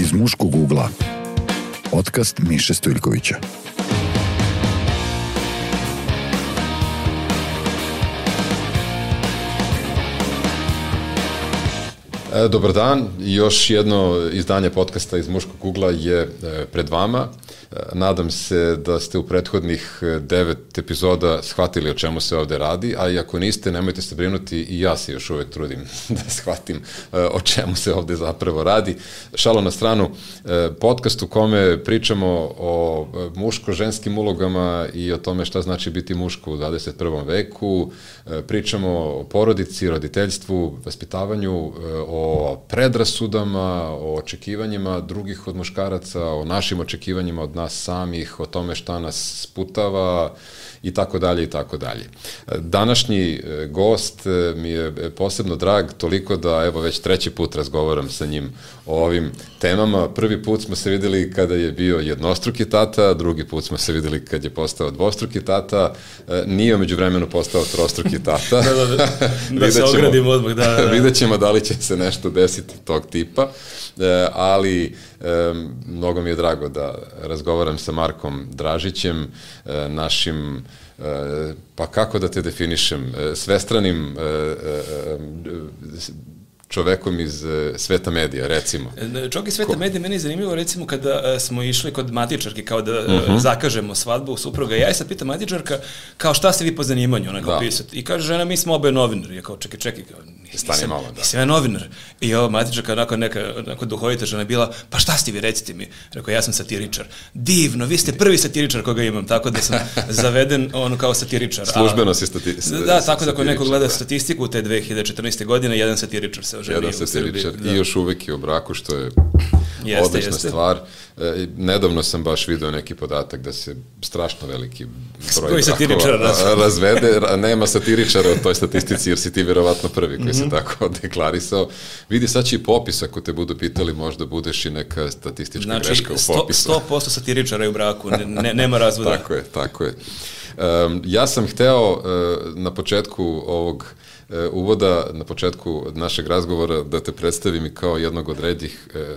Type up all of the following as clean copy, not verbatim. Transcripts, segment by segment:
Iz muškog ugla. Podcast Miše Stojljkovića. Dobar dan, još jedno izdanje podcasta Iz muškog ugla je pred vama. Nadam se da ste u prethodnih 9 epizoda shvatili o čemu se ovde radi, a i ako niste, nemojte se brinuti, i ja se još uvek trudim da shvatim o čemu se ovde zapravo radi. Šalo na stranu, podcast u kome pričamo o muško-ženskim ulogama i o tome šta znači biti muško u 21. veku, pričamo o porodici, roditeljstvu, vaspitavanju, o predrasudama, o očekivanjima drugih od muškaraca, o našim očekivanjima od nas samih, o tome šta nas sputava i tako dalje i tako dalje. Današnji gost mi je posebno drag, toliko da evo već treći put razgovaram sa njim o ovim temama. Prvi put smo se videli kada je bio jednostruki tata, drugi put smo se videli kad je postao dvostruki tata, nije umeđu vremenu postao trostruki tata. Da se ogradimo odmah, da. Vidjet ćemo da li će se nešto desiti tog tipa, ali mnogo mi je drago da razgovaram sa Markom Dražićem, našim, pa kako da te definišem, svestranim čovekom iz sveta medija, recimo. Čovjek iz sveta medija, meni je zanimljivo, recimo, kada smo išli kod matičarke, kao da zakažemo svadbu supruga, ja je sad pitam matičarka, kao šta ste vi po zanimanju, ona kao pisati. I kaže žena, mi smo oboje novinari. Ja kao, čekaj, nisam ja novinar. I ovo matičarka, onako duhovita žena je bila, pa šta ste vi, recite mi. Rekao, ja sam satiričar. Divno, vi ste prvi satiričar koga imam, tako da sam zaveden ono kao satiričar. Službeno si satiričar. Da, tako da ako neko gleda statistiku te 2014. godine, jedan satiričar se oženio u Srbiji. I još uvek je u braku, što je odlična stvar. Nedavno sam baš video neki podatak da se strašno veliki broj brakova razvede. Nema satiričara u toj statistici, jer si ti vjerovatno prvi koji se tako deklarisao. Vidi, sad će i popis, ako te budu pitali, možda budeš i neka statistička greška u popisu. 100% satiričara je u braku, nema razvoda. Tako je. Ja sam hteo na početku ovog uvoda, na početku našeg razgovora, da te predstavim i kao jednog od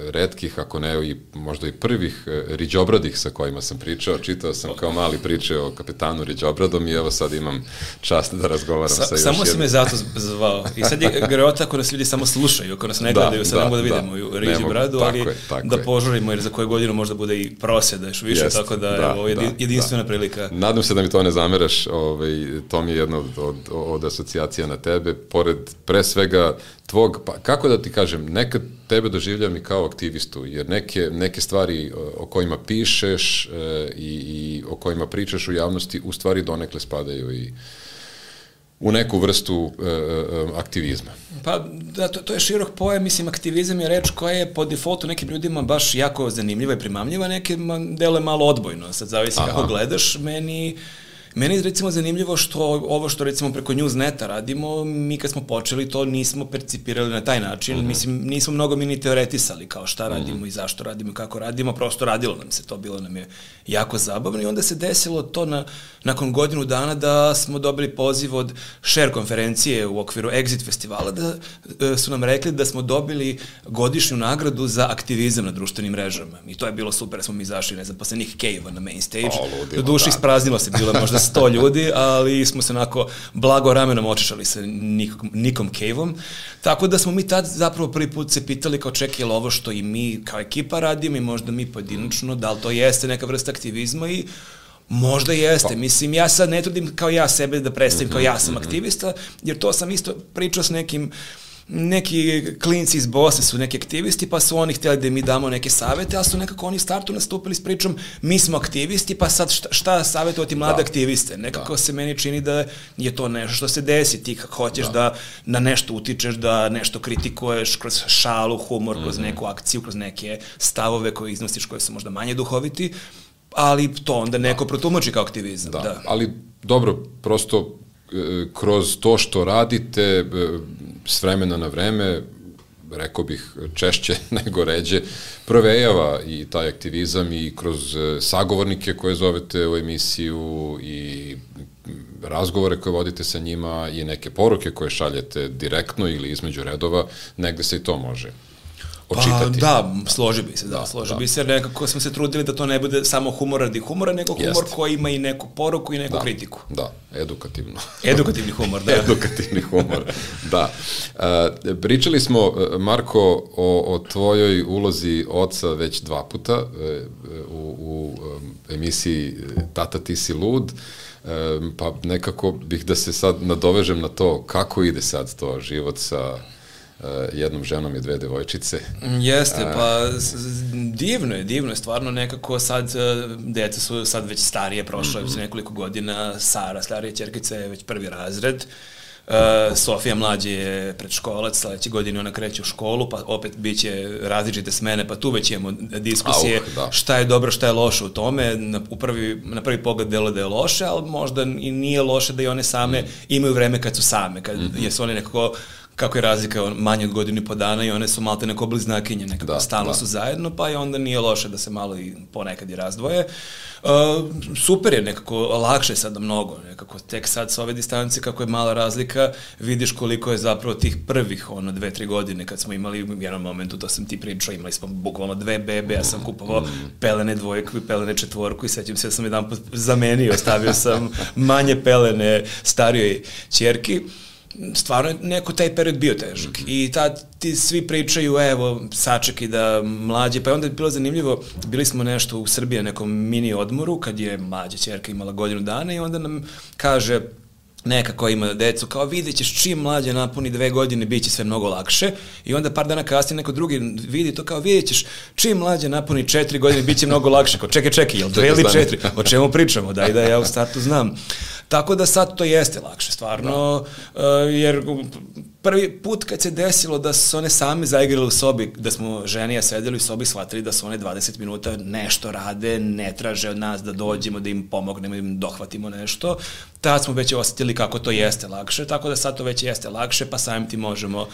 retkih, ako ne i možda i prvih riđobradih sa kojima sam pričao. Čitao sam kao mali priče o kapetanu Riđobradom i evo sad imam čast da razgovaram sa još jednom. Samo si me zato zvao. I sad je grota ako nas ljudi samo slušaju, ako nas ne gledaju, sad ne mogu da vidimo u Riđobradu, ali da požurimo, jer za koju godinu možda bude i prosjeda još više, tako da je ovo jedinstvena prilika. Nadam se da mi to ne zameraš, to mi je jedna od asocijacija na tebe, pored pre svega tvog, pa kako da ti kažem, nekad tebe doživljam i kao aktivistu, jer neke stvari o kojima pišeš i o kojima pričaš u javnosti u stvari donekle spadaju i u neku vrstu aktivizma. Pa da, to je širok pojam, mislim, aktivizam je reč koja je po defaultu nekim ljudima baš jako zanimljiva i primamljiva, nekima deluje malo odbojno, sad zavisi kako gledaš. Meni je recimo zanimljivo što ovo što recimo preko Newsneta radimo, mi kad smo počeli to nismo percipirali na taj način, mislim nismo mnogo mi ni teoretisali kao šta radimo i zašto radimo i kako radimo, prosto radilo nam se to, bilo nam je jako zabavno i onda se desilo to nakon godinu dana da smo dobili poziv od Share konferencije u okviru Exit festivala, da su nam rekli da smo dobili godišnju nagradu za aktivizam na društvenim mrežama i to je bilo super, smo mi izašli nezaposlenih Cave-a na main stage, do duše ispraznilo se, bilo možda 100 ljudi, ali smo se onako blago ramenom očešali sa Nikom Cave-om, tako da smo mi tad zapravo prvi put se pitali kao čekaj, je li ovo što i mi kao ekipa radimo i možda mi pojedinačno, da li to jeste neka vrsta aktivizma i možda jeste. Mislim, ja sad ne trudim kao ja sebe da predstavim kao ja sam aktivista, jer to sam isto pričao s neki klinci iz Bosne su neki aktivisti, pa su oni htjeli da mi damo neke savete, ali su nekako oni startu nastupili s pričom mi smo aktivisti, pa sad šta savjetovati mlade aktiviste? Nekako se meni čini da je to nešto što se desi, ti kako hoćeš da na nešto utičeš, da nešto kritikuješ kroz šalu, humor, kroz neku akciju, kroz neke stavove koje iznosiš koje su možda manje duhoviti, ali to onda neko protumači kao aktivizam. Da. Ali dobro, prosto kroz to što radite s vremena na vreme, rekao bih češće nego ređe, provejava i taj aktivizam i kroz sagovornike koje zovete u emisiju i razgovore koje vodite sa njima i neke poruke koje šaljete direktno ili između redova, negde se i to može očitati. Da, složi bi se, bi se, nekako smo se trudili da to ne bude samo humor radi humora, nego humor koji ima i neku poruku i neku kritiku. Da, edukativno. Edukativni humor, da. Edukativni humor, da. Pričali smo, Marko, o tvojoj ulozi oca već 2 puta u emisiji Tata, ti si lud, pa nekako bih da se sad nadovežem na to kako ide sad to život sa jednom ženom i 2 devojčice. Jeste, pa divno je, stvarno nekako sad, deca su sad već starije, prošlo je već nekoliko godina, Sara, starija ćerkica je već 1. razred, Sofija mlađe je predškolac, sledeće godine ona kreće u školu, pa opet bit će različite smene, pa tu već imamo diskusije šta je dobro, šta je loše u tome. Na prvi pogled delo da je loše, ali možda i nije loše da i one same imaju vreme kad su same, jer su one nekako, kako je razlika manje od godinu i po dana i one su malte neko bliznakinje, nekako stalno su zajedno, pa i onda nije loše da se malo i ponekad i razdvoje. Super je, nekako lakše je sada mnogo, nekako tek sad sa ove distancije kako je mala razlika, vidiš koliko je zapravo tih prvih 2-3 godine kad smo imali u jednom momentu, to sam ti pričao, imali smo bukvalno 2 bebe, ja sam kupovao pelene 2 i pelene 4 i sećam se da sam jedan put zamenio, stavio sam manje pelene starijoj ćerki. Stvarno je neko taj period bio težak i ti svi pričaju, evo, sačekaj da mlađe, pa je onda je bilo zanimljivo, bili smo nešto u Srbiji na nekom mini odmoru, kad je mlađa ćerka imala godinu dana i onda nam kaže neka koja ima decu, kao vidjet ćeš čim mlađe napuni 2 godine, bit će sve mnogo lakše i onda par dana kasnije neko drugi vidi to kao vidjet ćeš čim mlađe napuni 4 godine, bit će mnogo lakše, kao čekaj, jel 2 ili 4, o čemu pričamo, da ja u startu znam. Tako da sad to jeste lakše, stvarno, jer prvi put kad se desilo da su one same zaigrale u sobi, da smo ženija sedeli u sobi, shvatili da su one 20 minuta nešto rade, ne traže od nas da dođemo, da im pomognemo, da im dohvatimo nešto, tad smo već osjetili kako to jeste lakše, tako da sad to već jeste lakše, pa samim ti možemo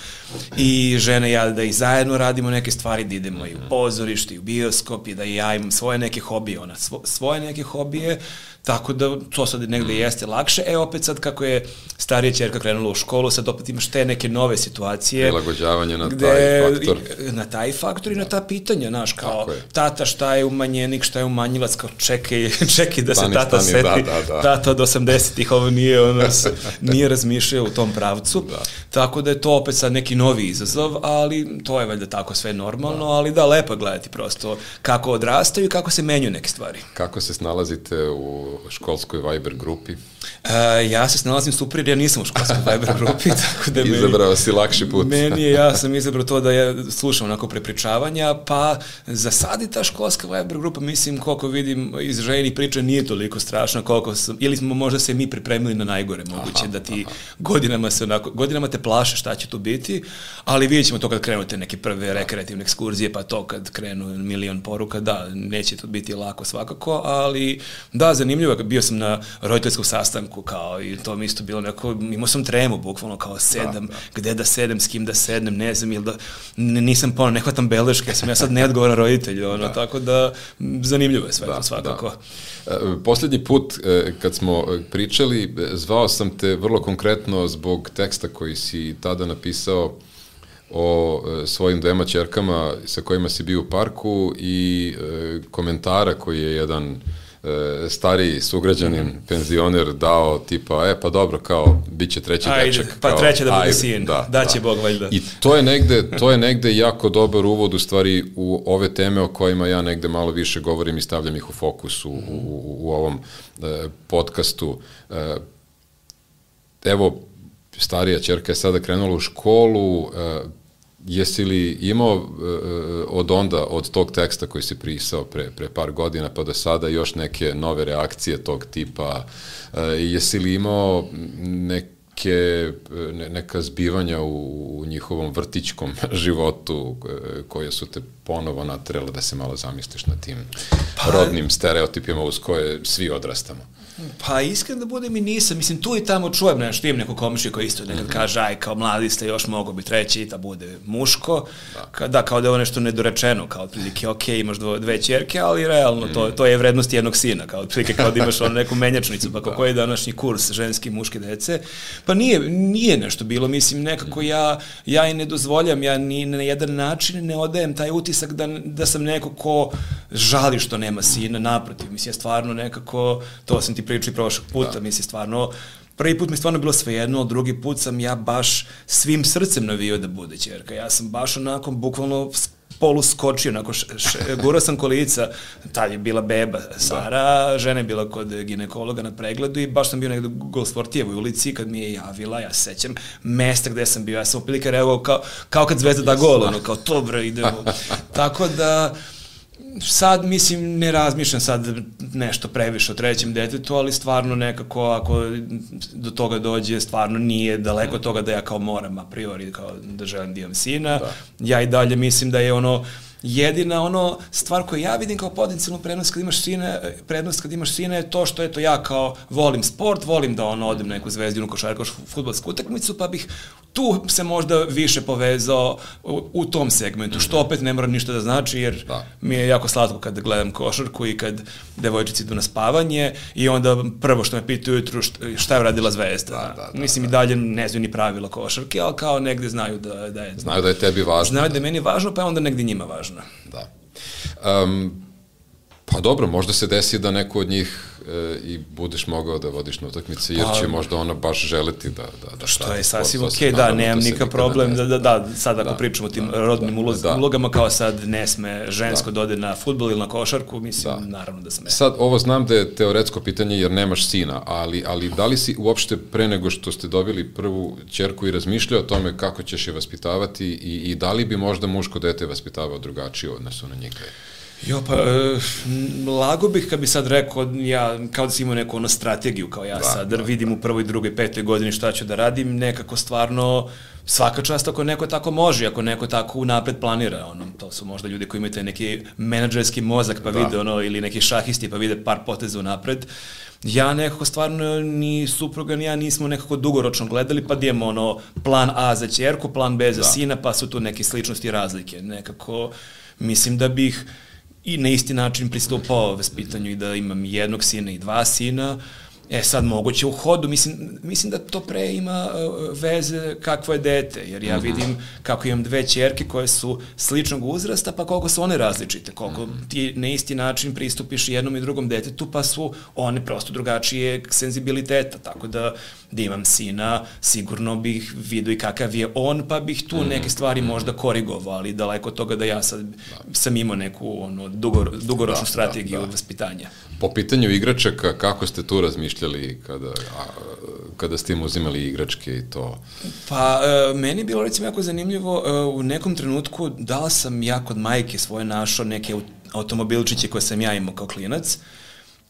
i žene i ja da i zajedno radimo neke stvari, da idemo i u pozorište, i u bioskop, i da i ja imam svoje neke hobije, ona svoje neke hobije, tako da to sad negde jeste lakše. Opet sad kako je starija ćerka krenula u školu, sad opet imaš te neke nove situacije. Prilagođavanje na taj faktor. Na taj faktor i na ta pitanja, znaš, kao tata šta je umanjenik, šta je umanjilac, kao čekaj da se tata seti. Tata od 80-ih ovo nije razmišljao u tom pravcu. Tako da je to opet sad neki novi izazov, ali to je valjda tako sve normalno, ali da, lepo gledati prosto kako odrastaju i kako se menjaju neke stvari. Kako se snalazite u školskoj Viber grupi? Ja se snalazim super jer ja nisam u školskoj Viber grupi, tako da izabrao si lakši put. Ja sam izabrao to da ja slušam onako prepričavanja, pa za sad i ta školska Viber grupa, mislim, koliko vidim iz ženi priča, nije toliko strašno koliko sam, ili smo možda se mi pripremili na najgore, moguće da ti godinama te plaše šta će tu biti, ali vidjet ćemo to kad krenu te neke prve rekreativne ekskurzije, pa to kad krenu milion poruka, da, neće to biti lako svakako, ali da, zanimljivo, bio sam na roditeljskom sastanku, kao, i to mi isto bilo neko, imao sam tremu, bukvalno, kao sedam, gde da sedem, s kim da sednem, ne znam, ili da, nisam ne hvatam beleške, ja sad neodgovoran roditelj, tako da, zanimljivo je sve to svakako. Poslednji put, kad smo pričali, zvao sam te vrlo konkretno zbog teksta koji si tada napisao o svojim 2 ćerkama sa kojima si bio u parku i komentara koji je jedan stariji sugrađanin, penzioner dao tipa, pa dobro, kao, bit će treći dečak. Pa treće da bude sin, da će Bog valjda. I to je negde jako dobar uvod u stvari u ove teme o kojima ja negde malo više govorim i stavljam ih u fokus u ovom podcastu. Evo, starija ćerka je sada krenula u školu, jesi li imao od tog teksta koji si pisao pre par godina pa do sada još neke nove reakcije tog tipa? Jesi li imao neka zbivanja u njihovom vrtićkom životu koje su te ponovo naterale da se malo zamisliš na tim rodnim stereotipima uz koje svi odrastamo? Pa iskreno da budem i nisam, mislim tu i tamo čujem nešto, imam neko komšiju koji isto nekad kaže, aj kao mladi ste još mogo biti treći, da bude muško, kao da je ovo nešto nedorečeno, kao otprilike, ok, imaš dve ćerke, ali realno to je vrednost jednog sina, kao otprilike kao da imaš neku menjačnicu, pa koji je današnji kurs ženski, muške dece, pa nije nešto bilo, mislim nekako ja i ne dozvoljam, ja ni na jedan način ne odajem taj utisak da sam neko ko žali što nema sina, naprotiv, mislim ja stvarno nekako, to sam ti pričao i prošlog puta, mislim stvarno, prvi put mi stvarno bilo svejedno, ali drugi put sam ja baš svim srcem navio da bude ćerka. Ja sam baš onako bukvalno poluskočio, onako gurao sam kolica, tad je bila beba Sara, žena je bila kod ginekologa na pregledu i baš sam bio negde u Golsportijevoj ulici kad mi je javila, ja se sećam mesta gde sam bio, ja sam opilike reagovao kao kad Zvezda da gol, ono kao to bre idemo. Tako da sad, mislim, ne razmišljam sad nešto previše o trećem detetu, ali stvarno nekako, ako do toga dođe, stvarno nije daleko od toga da ja kao moram a priori, kao da želim da imam sina. Ja i dalje mislim da je jedina stvar koju ja vidim kao potencijalnu prednost kad imaš sina je to što ja kao volim sport, volim da odem na neku zvezdinu košarkašku fudbalsku utakmicu, pa bih tu se možda više povezao u tom segmentu, što opet ne mora ništa da znači, jer mi je jako slatko kad gledam košarku i kad devojčici idu na spavanje i onda prvo što me pitaju ujutru šta je uradila Zvezda. Mislim i dalje ne znaju ni pravila košarke, ali kao negde znaju da je... Znaju da je tebi važno. Znaju da je meni važno, pa je onda negde njima važno. Da. Pa dobro, možda se desi da neko od njih i budeš mogao da vodiš na utakmice, jer će možda ona baš želeti da što je sasvim okej, da, nemam nikakav problem, da, sad ako pričamo o tim rodnim ulogama, kao sad ne sme žensko da ode na fudbal ili na košarku, mislim, naravno da sme. Sad, ovo znam da je teoretsko pitanje, jer nemaš sina, ali da li si uopšte pre nego što ste dobili prvu ćerku i razmišljao o tome kako ćeš je vaspitavati i da li bi možda muško dete vaspitavao drugačije u odnosu na njega? Lago bih kad bi sad rekao, ja kao da si imao neku strategiju, kao ja sad vidim u prvoj, drugoj, petoj godini šta ću da radim, nekako stvarno svaka čast ako neko tako može, ako neko tako unapred planira, to su možda ljudi koji imaju taj neki menadžerski mozak pa vide ili neki šahisti pa vide par poteza unapred. Ja nekako stvarno ni supruga ni ja nismo nekako dugoročno gledali, pa da imamo plan A za ćerku, plan B za sina, pa su tu neke sličnosti i razlike. Nekako mislim da bih i na isti način pristupao vaspitanju i da imam jednog sina i dva sina. Sad moguće u hodu, mislim da to pre ima veze kakvo je dete, jer ja vidim kako imam dve ćerke koje su sličnog uzrasta, pa koliko su one različite, koliko ti na isti način pristupiš jednom i drugom detetu, pa su one prosto drugačije senzibiliteta, tako da imam sina, sigurno bih vidio i kakav je on, pa bih tu neke stvari možda korigovao, ali daleko od toga da ja sad sam imao neku dugoročnu strategiju vaspitanja. Po pitanju igračaka, kako ste tu razmišljali kada ste im uzimali igračke i to? Pa, meni je bilo recimo jako zanimljivo, u nekom trenutku da sam ja kod majke svoje našao neke automobilčiće koje sam ja imao kao klinac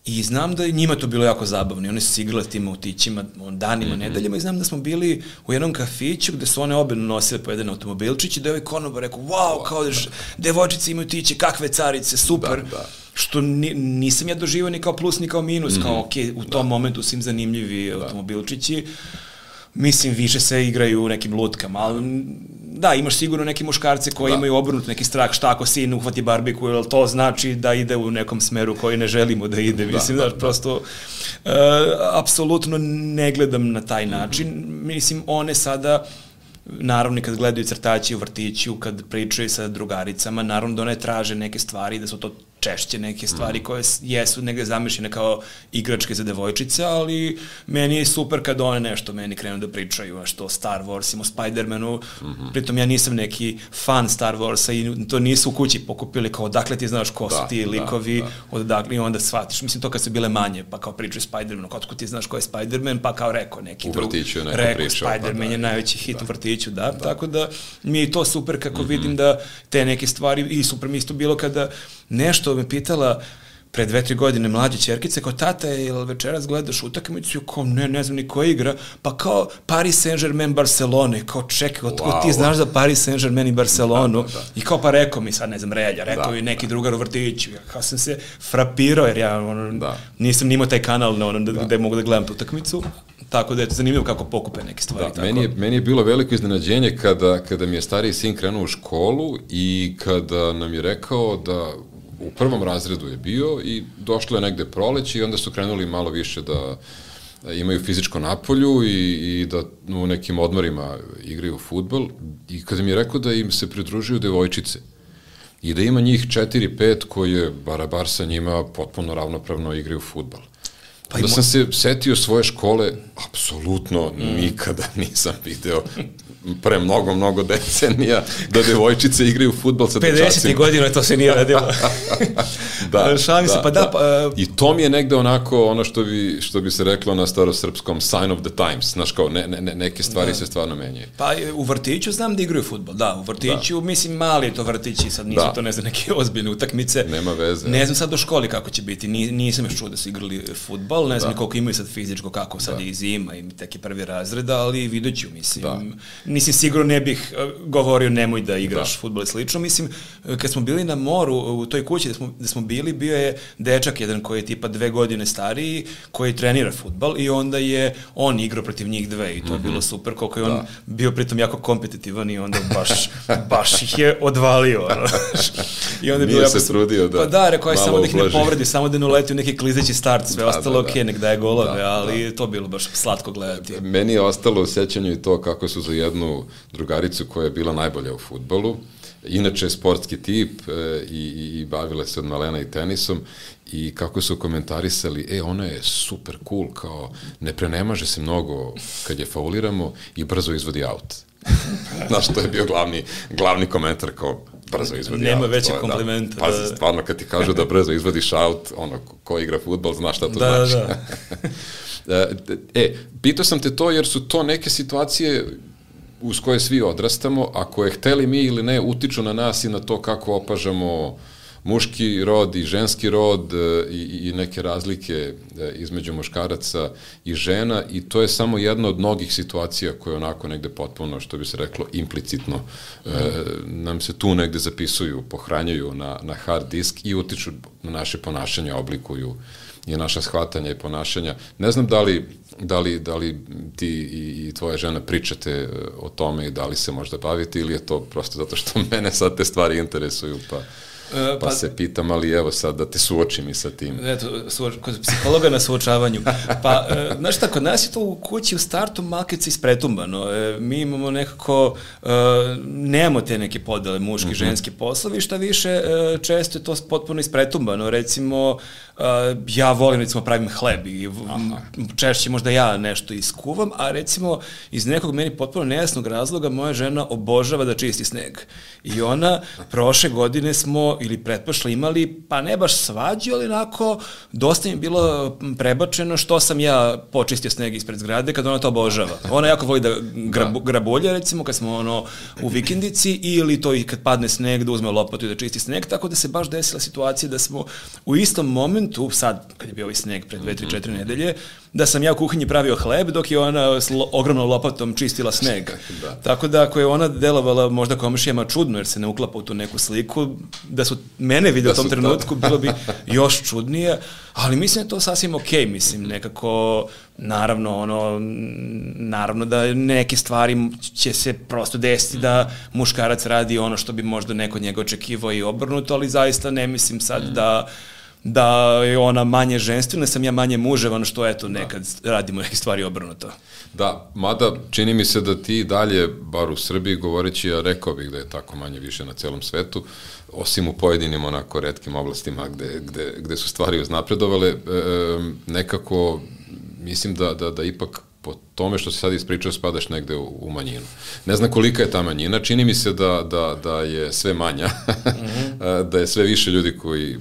i znam da je njima to bilo jako zabavno i oni su se igrali s tim autićima danima, nedeljama i znam da smo bili u jednom kafiću gde su one obe nosile po jedan automobilčić i da je ovaj konobar rekao, wow, kao devojčice imaju tiće, kakve carice, super. Što nisam ja doživao ni kao plus ni kao minus, kao ok, u tom momentu su im zanimljivi automobilčići, mislim više se igraju u nekim lutkama, ali da, imaš sigurno neki muškarce koji imaju obrnut neki strah, šta ako sin uhvati barbiku, jer to znači da ide u nekom smeru koji ne želimo da ide, mislim da prosto apsolutno ne gledam na taj način, mislim one sada naravno kad gledaju crtaći u vrtiću, kad pričaju sa drugaricama, naravno da one traže neke stvari, da su to češće neke stvari koje jesu negde zamišljene kao igračke za devojčice, ali meni je super kad one nešto meni krenu da pričaju, a što Star Wars, o Spider-Manu, pritom ja nisam neki fan Star Warsa i to nisu u kući pokupili kao odakle ti znaš ko su ti likovi, odakle i onda shvatiš, mislim to kad su bile manje, pa kao pričaju Spider-Manu, kako ti znaš ko je Spider-Man, pa kao rekao neki drug, rekao Spider-Man je najveći hit u vrtiću, tako da mi je to super kako vidim da te neke stvari, i super mi isto bilo kada nešto me pitala pre 2-3 godine mlađe ćerkice, kao tata je, ili večeras gledaš utakmicu, kao ne znam ni ko igra, pa kao Paris Saint-Germain Barcelona, kao čekaj, otkud ti znaš za Paris Saint-Germain i Barcelonu, i kao pa rekao mi sad, ne znam, Relja, rekao i neki drugar u vrtiću, ja kao sam se frapirao, jer ja nisam nimao taj kanal gde mogu da gledam tu utakmicu, tako da je to zanimljivo kako pokupe neke stvari. Meni je bilo veliko iznenađenje kada mi je stariji sin krenuo u školu i kada nam je rekao da u prvom razredu je bio i došlo je negde proleće i onda su krenuli malo više da imaju fizičko napolju i da u nekim odmorima igraju fudbal i kada mi je rekao da im se pridružuju devojčice i da ima njih 4-5 koje barabar sa njima potpuno ravnopravno igraju fudbal. Da sam se setio svoje škole, apsolutno nikada nisam video pre mnogo decenija da devojčice igraju fudbal sa dečacima. 50. godina to se nije radilo. Šalim se, I to mi je negde onako ono što bi se reklo na starosrpskom sign of the times, znaš kao neke stvari se stvarno menjaju. Pa u vrtiću znam da igraju fudbal, u vrtiću, mislim mali je to vrtići, sad nisu to ne znam neke ozbiljne utakmice. Nema veze. Ne znam sad u školi kako će biti, nisam još čuo da su igrali fudbal, ne znam koliko imaju sad fizičko, kako sad je i zima i teki prvi razred, ali vidjet ću, mislim, sigurno ne bih govorio nemoj da igraš fudbal i slično. Mislim, kad smo bili na moru, u toj kući gde smo bili, bio je dečak jedan koji je tipa 2 godine stariji, koji trenira fudbal i onda je on igrao protiv njih dve i to je bilo super, koliko je on bio pritom jako kompetitivan i onda baš ih je odvalio. I onda je bilo se trudio da... Pa da, rekao je samo da ih ne povredi, samo da ne uleti u neki klizeći start, sve ostalo okej, nek daje golove, ali to bilo baš slatko gledati. Meni je ostalo u sećanju i to kako su za jednu drugaricu koja je bila najbolja u fudbalu, inače sportski tip i bavila se od malena i tenisom i kako su komentarisali, ona je super cool, kao ne prenemaže se mnogo kad je fauliramo i brzo izvodi aut. Znaš, to je bio glavni komentar, kao brzo izvodi Nema aut. veće komplimenta. Pazi, stvarno kad ti kažu da brzo izvodiš aut, ko igra fudbal zna šta to znači. Pitao sam te to jer su to neke situacije uz koje svi odrastamo, a koje hteli mi ili ne utiču na nas i na to kako opažamo muški rod i ženski rod i neke razlike između muškaraca i žena i to je samo jedna od mnogih situacija koje onako negde potpuno, što bi se reklo, implicitno nam se tu negde zapisuju, pohranjuju na hard disk i utiču na naše ponašanje, oblikuju i naša shvatanja i ponašanja. Ne znam da li ti i tvoja žena pričate o tome i da li se možda bavite ili je to prosto zato što mene sad te stvari interesuju, pa se pitam, ali evo sad da te suočim i sa tim. Eto, kod psihologa na suočavanju. Pa, znaš šta, kod nas je to u kući u startu malkice ispretumbano. Mi imamo nekako, nemamo te neke podele, muški, ženski poslovi, šta više, često je to potpuno ispretumbano. Recimo, ja volim, recimo, pravim hleb i češće možda ja nešto iskuvam, a recimo, iz nekog meni potpuno nejasnog razloga, moja žena obožava da čisti sneg. I ona, prošle godine smo ili pretprošle imali, pa ne baš svađu, ali onako, dosta mi je bilo prebačeno što sam ja počistio sneg ispred zgrade kad ona to obožava. Ona jako voli da grabulja, recimo, kad smo u vikendici, ili to i kad padne sneg, da uzme lopatu i da čisti sneg, tako da se baš desila situacija da smo u istom momentu, sad, kad je bio ovaj sneg pred 2-3-4 nedelje, da sam ja u kuhinji pravio hleb, dok je ona s ogromnom lopatom čistila sneg. Tako da, ako je ona delovala možda komšijama čudno, jer se ne uklapa u tu neku sliku, da su mene vidio u tom trenutku, bilo bi još čudnije, ali mislim da je to sasvim okej, mislim, nekako, naravno da neke stvari će se prosto desiti da muškarac radi ono što bi možda neko njega očekivao i obrnuto, ali zaista ne mislim sad da je ona manje ženstvena, sam ja manje muževan, što eto, nekad radimo neke stvari obrnuto. Da, mada čini mi se da ti dalje, bar u Srbiji govoreći, ja rekao bih da je tako manje više na celom svetu, osim u pojedinim onako retkim oblastima gde su stvari uznapredovale, nekako mislim da ipak po tome što se sad ispričao spadaš negde u manjinu. Ne znam kolika je ta manjina, čini mi se da je sve manja, da je sve više ljudi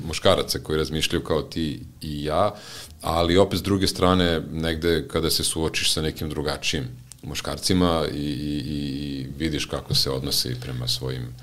muškaraca koji razmišljaju kao ti i ja, ali opet s druge strane negde kada se suočiš sa nekim drugačijim muškarcima i vidiš kako se odnose prema svojim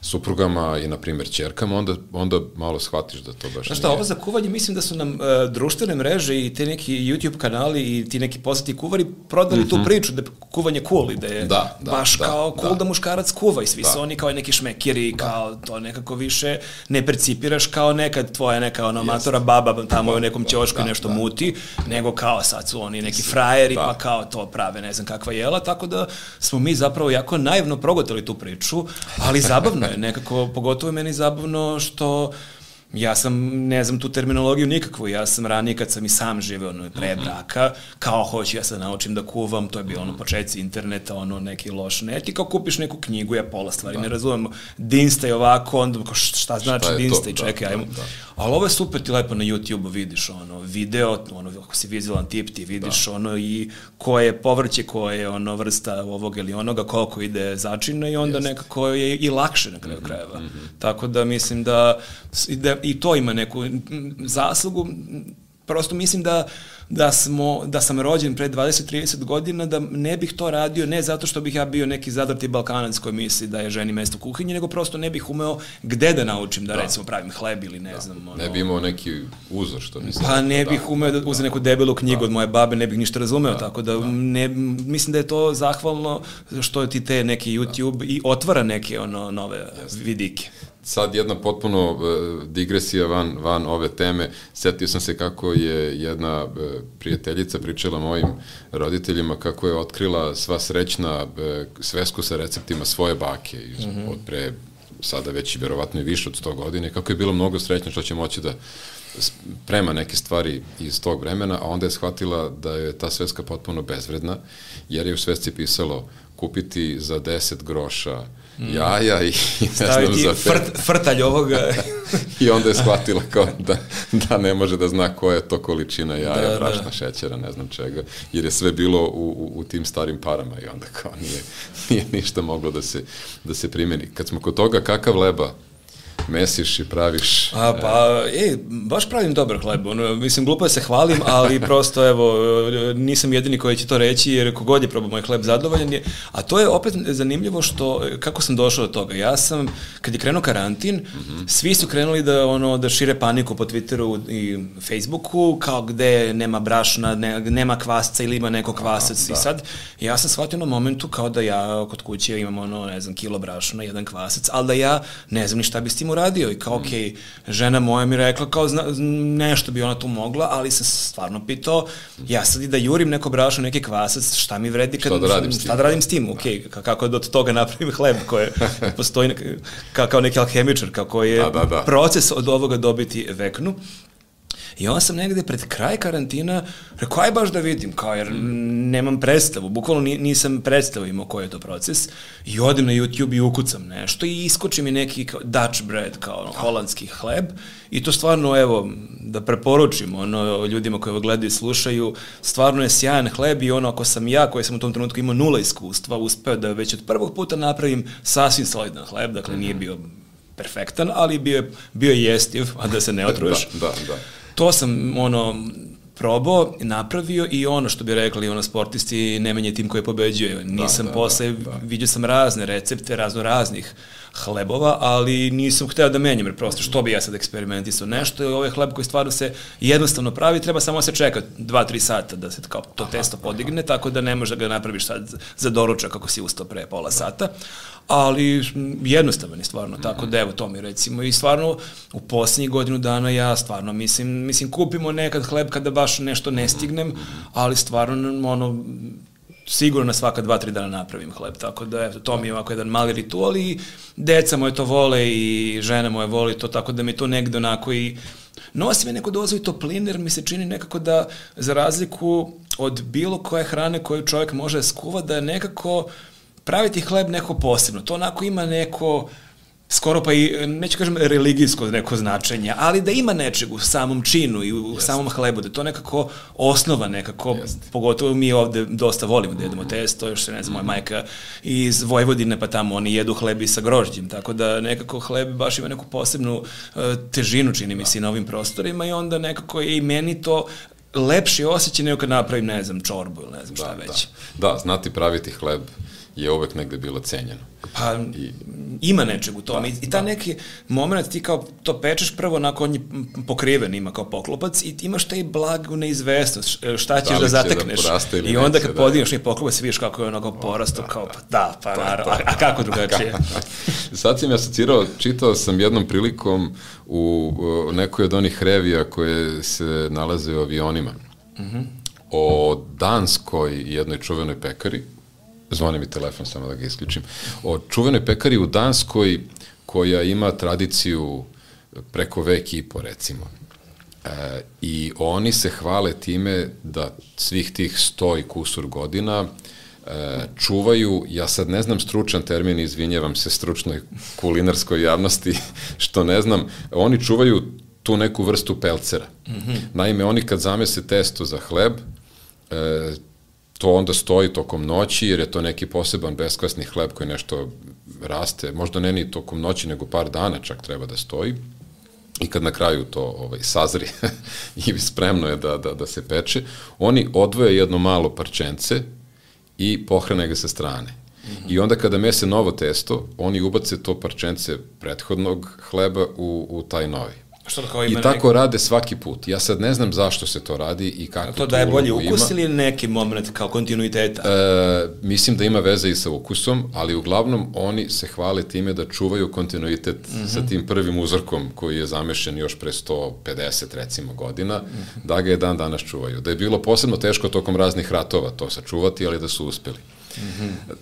suprugama i, na primjer, ćerkama, onda malo shvatiš da to baš Znaš šta, ovo za kuvanje, mislim da su nam društvene mreže i te neki YouTube kanali i ti neki poznati kuvari prodali tu priču da je kuvanje cool i da je baš kao cool da muškarac kuva i svi su oni kao neki šmekiri, kao to nekako više ne percipiraš kao nekad tvoja neka amatora baba tamo u nekom ćošku nešto muti, nego kao sad su oni neki frajeri pa kao to prave ne znam kakva jela, tako da smo mi zapravo jako naivno progutali tu priču, ali zabavno je nekako, pogotovo je meni zabavno što ja sam, ne znam tu terminologiju nikakvu, ja sam ranije kad sam i sam živeo pre braka, kao hoću ja sad naučim da kuvam, to je bilo početci interneta, neki loš net i kao kupiš neku knjigu, ja pola stvari ne razumem, Dinsta i ovako, onda šta znači Dinsta i čekaj, ajmo. Ali ovo je super, ti lepo na YouTube vidiš video, ako si vizualan tip, ti vidiš i koje je povrće, koje je vrsta ovog ili onoga, koliko ide začina i onda nekako je i lakše na kraju krajeva. Tako da mislim da i to ima neku zaslugu, prosto mislim da sam rođen pre 20-30 godina, da ne bih to radio, ne zato što bih ja bio neki zadrti Balkanac koji misli da je ženi mesto u kuhinji, nego prosto ne bih umeo gde da naučim da recimo pravim hleb ili ne znam. Ne bi imao neki uzor što mislim. Pa ne bih umeo da uzem neku debelu knjigu od moje babe, ne bih ništa razumeo, tako da mislim da je to zahvalno što ti te neki YouTube i otvara neke nove vidike. Sad jedna potpuno digresija van ove teme. Sjetio sam se kako je jedna prijateljica pričala mojim roditeljima kako je otkrila sva srećna svesku sa receptima svoje bake od pre sada već i verovatno i više od 100 godina, kako je bilo mnogo srećno što će moći da sprema neke stvari iz tog vremena, a onda je shvatila da je ta sveska potpuno bezvredna, jer je u svesci pisalo kupiti za 10 groša jaja i staviti frtalj ovoga. I onda je shvatila kao da ne može da zna koja je to količina jaja, brašna, šećera, ne znam čega, jer je sve bilo u tim starim parama i onda kao nije ništa moglo da se primeni. Kad smo kod toga, kakav leba mesiš i praviš? Baš pravim dobar hleb. Mislim, glupo da se hvalim, ali prosto, evo, nisam jedini koji će to reći, jer kogod je probao moj hleb zadovoljan je. A to je opet zanimljivo kako sam došao do toga. Ja sam, kad je krenuo karantin, svi su krenuli da šire paniku po Twitteru i Facebooku, kao gde nema brašna, nema kvasca ili ima neko kvasac. I sad, ja sam shvatio na momentu kao da ja kod kuće imam ne znam, kilo brašna, jedan kvasac, ali da ja ne znam ni šta bi s tim uradio i kao, okej, žena moja mi rekla kao nešto bi ona tu mogla, ali sam stvarno pitao, ja sad i da jurim neko brašno, neki kvasac, šta mi vredi, šta da radim s tim, okej, kako da od toga napravim hleb koji postoji kao neki alhemičar, kako je proces od ovoga dobiti veknu. I onda sam negde pred kraj karantina rekao, aj baš da vidim, kao jer nemam predstavu, bukvalno nisam predstavu imao koji je to proces i odem na YouTube i ukucam nešto i iskoči mi neki Dutch bread, kao holandski hleb i to stvarno, evo, da preporučim ljudima koji ovo gledaju i slušaju, stvarno je sjajan hleb i ako sam ja, koji sam u tom trenutku imao 0 iskustva, uspeo da već od prvog puta napravim sasvim solidan hleb, dakle nije bio perfektan, ali bio je jestiv, a da se ne otruješ. Da. To sam, probao, napravio i što bi rekli, sportisti, ne menje tim koji pobeđuje. Nisam posle, vidio sam razne recepte, raznih hlebova, ali nisam hteo da menjam, jer prosto što bi ja sad eksperimentisao nešto, ovaj hleb koji stvarno se jednostavno pravi, treba samo se čekati 2-3 sata da se kao to testo podigne, tako da ne možeš da ga napraviš sad za doručak kako si ustao pre pola sata, ali jednostavan je stvarno, tako da evo to mi recimo i stvarno u posljednjih godinu dana ja stvarno mislim kupimo nekad hleb kada baš nešto ne stignem, ali stvarno sigurno na svaka 2-3 dana napravim hleb, tako da evo, to mi je ovako jedan mali ritual i deca moje to vole i žena moje voli to, tako da mi to negde onako i nosi me neku dozu i topline, jer mi se čini nekako da za razliku od bilo koje hrane koju čovjek može skuva, da je nekako praviti hleb neko posebno. To onako ima neko, skoro pa i, neću kažem religijsko neko značenje, ali da ima nečeg u samom činu i u samom hlebu, da to nekako osnova nekako, pogotovo mi ovde dosta volimo da jedemo testo, još se ne znam, moja majka iz Vojvodine, pa tamo oni jedu hleb i sa grožđem, tako da nekako hleb baš ima neku posebnu težinu, čini mi se, na ovim prostorima i onda nekako je i meni to lepši osjećaj nego kad napravim, ne znam, čorbu ili ne znam šta već. Da, znati praviti hleb je uvek negde bilo cenjeno. Pa, ima nečeg u tome. I ta neki moment, ti kao to pečeš prvo, onako on je pokriven, ima kao poklopac i imaš taj blagu neizvestnost, šta ćeš da zatekneš. I onda kad podigneš i poklopac, vidiš kako je onako porastao, kao pa da, pa naravno, a kako drugačije? Sad si mi asocirao, čitao sam jednom prilikom u nekoj od onih revija koje se nalaze u avionima, o danskoj jednoj čuvenoj pekari, zvoni mi telefon, samo da ga isključim, o čuvenoj pekari u Danskoj koja ima tradiciju preko vek i po, recimo. I oni se hvale time da svih tih 100 i kusur godina čuvaju, ja sad ne znam stručan termin, izvinjavam se stručnoj kulinarskoj javnosti, što ne znam, oni čuvaju tu neku vrstu pelcera. Naime, oni kad zamese testo za hleb, to onda stoji tokom noći, jer je to neki poseban beskvasni hleb koji nešto raste, možda ne ni tokom noći, nego par dana čak treba da stoji. I kad na kraju to sazri i spremno je da se peče, oni odvoje jedno malo parčence i pohrane ga sa strane. I onda kada mese novo testo, oni ubace to parčence prethodnog hleba u taj novi. I tako rade svaki put. Ja sad ne znam zašto se to radi i kako to daje bolji ukus ili neki moment kao kontinuiteta? Mislim da ima veze i sa ukusom, ali uglavnom oni se hvale time da čuvaju kontinuitet sa tim prvim uzorkom koji je zamešen još pre 150 recimo godina, da ga je dan danas čuvaju. Da je bilo posebno teško tokom raznih ratova to sačuvati, ali da su uspeli.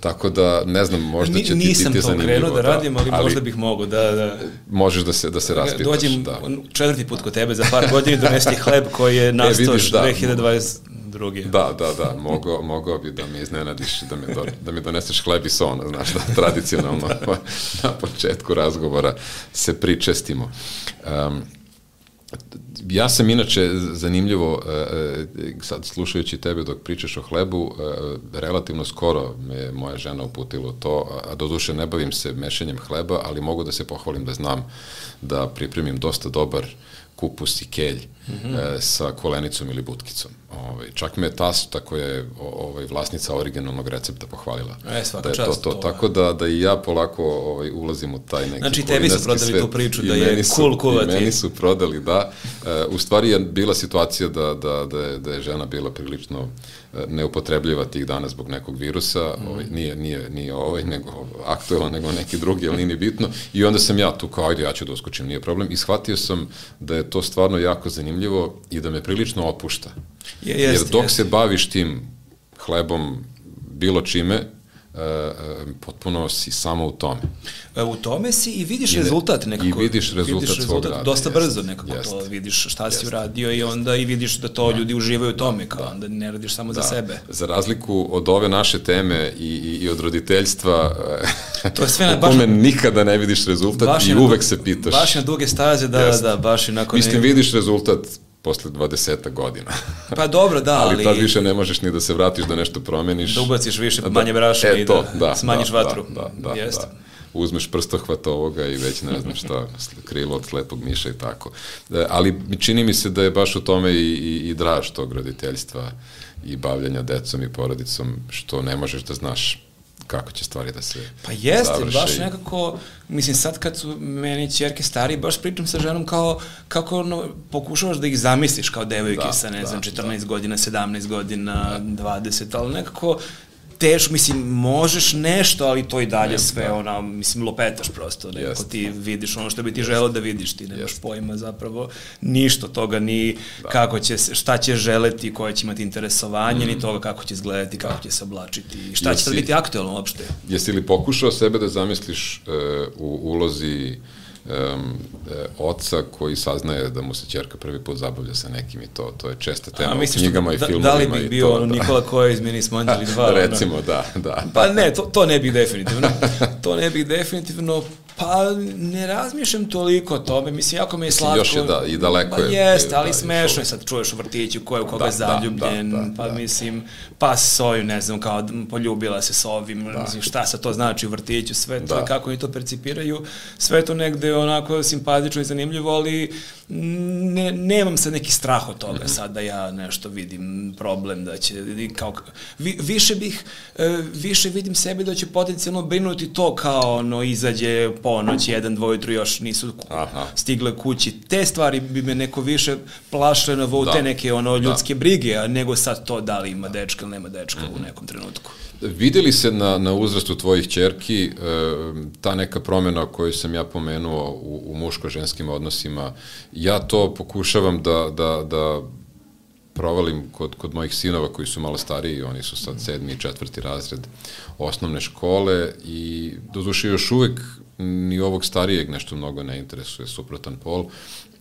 Tako da, ne znam, možda će ti zanimljivo. Nisam to krenuo da radim, ali možda bih mogo da... Možeš da se raspitaš. Dođem 4. put kod tebe za par godina i donesti hleb koji je nastao 2022. Da, mogao bi da me iznenadiš, da mi doneseš hleb i sona, znaš, da tradicionalno na početku razgovora se pričestimo. Ja sam inače, zanimljivo, sad slušajući tebe dok pričaš o hlebu, relativno skoro me moja žena uputila u to, a doduše ne bavim se mešanjem hleba, ali mogu da se pohvalim da znam da pripremim dosta dobar kupus i kelj sa kolenicom ili butkicom. Čak me tasta koja je vlasnica originalnog recepta pohvalila. Svaka čast. Tako da i ja polako ulazim u taj neki kulinarski svet. Znači, tebi su prodali tu priču da je cool kuvati. I meni su prodali, da. U stvari je bila situacija da je žena bila prilično neupotrebljiva tih dana zbog nekog virusa, nije nego aktuelan, nego neki drugi, ali nije bitno. I onda sam ja tu kao, ajde, ja ću da uskočim, nije problem. I shvatio sam da je to stvarno jako zanimljivo i da me prilično opušta. Jer dok se baviš tim hlebom bilo čime, potpuno si samo u tome. U tome si i vidiš rezultat nekako. I vidiš rezultat svog rada. Dosta brzo nekako to vidiš šta si uradio i onda i vidiš da to ljudi uživaju u tome, kao onda ne radiš samo za sebe. Za razliku od ove naše teme i od roditeljstva, to je sve u kome nikada ne vidiš rezultat i uvek se pitaš. Baš na duge staze, da, baš onako... Mislim, vidiš rezultat posle 20 godina. Pa dobro, da, ali tad više ne možeš ni da se vratiš da nešto promeniš. Da ubaciš više, manje brašna i da smanjiš vatru. Da. Uzmeš prstohvat ovoga i već ne znam šta, krilo od slepog miša i tako. Ali čini mi se da je baš u tome i draž tog roditeljstva i bavljanja decom i porodicom, što ne možeš da znaš kako će stvari da se pa jeste, baš nekako, mislim sad kad su meni ćerke stariji, baš pričam sa ženom kako pokušavaš da ih zamisliš kao devojke sa, ne znam, 14 godina, 17 godina, 20, ali nekako teško, mislim, možeš nešto, ali to i dalje sve, mislim, lopetaš prosto, nekako ti vidiš ono što bi ti želeo da vidiš, ti nemaš pojma zapravo ništa toga, ni kako će, šta će želeti, koje će imati interesovanje, ni toga kako će izgledati, kako će se oblačiti, šta će sad biti aktualno uopšte. Jesi li pokušao sebe da zamisliš u ulozi oca koji saznaje da mu se ćerka prvi put zabavlja sa nekim i to je česta tema u knjigama i filmovima. Da li bih bio Nikola Kojić, mi nismo Anđeli 2? Recimo, da. Pa ne, to ne bih definitivno. To ne bih definitivno, Pa ne razmišljam toliko o tome, mislim, jako mi je slatko. Još je i daleko je. Jeste, ali smešno je sad čuješ u vrtiću ko je u koga je zaljubljen, mislim, pas soju, ne znam, kao poljubila se s ovim, mislim, šta sad to znači u vrtiću, sve to, kako oni to percipiraju, sve to negde onako simpatično i zanimljivo, ali nemam sad neki strah od toga sad da ja nešto vidim problem, da će, kao, više vidim sebe da će potencijalno brinuti to kao ono izađe ponoć, 1, 2 ujutru još nisu stigle kući. Te stvari bi me neko više plašile na te neke ono ljudske brige, nego sad to da li ima dečka ili nema dečka u nekom trenutku. Vidi li se na uzrastu tvojih ćerki ta neka promjena koju sam ja pomenuo u muško-ženskim odnosima? Ja to pokušavam da provalim kod mojih sinova koji su malo stariji, oni su sad 7. i 4. razred osnovne škole i doduše još uvek ni ovog starijeg nešto mnogo ne interesuje suprotan pol,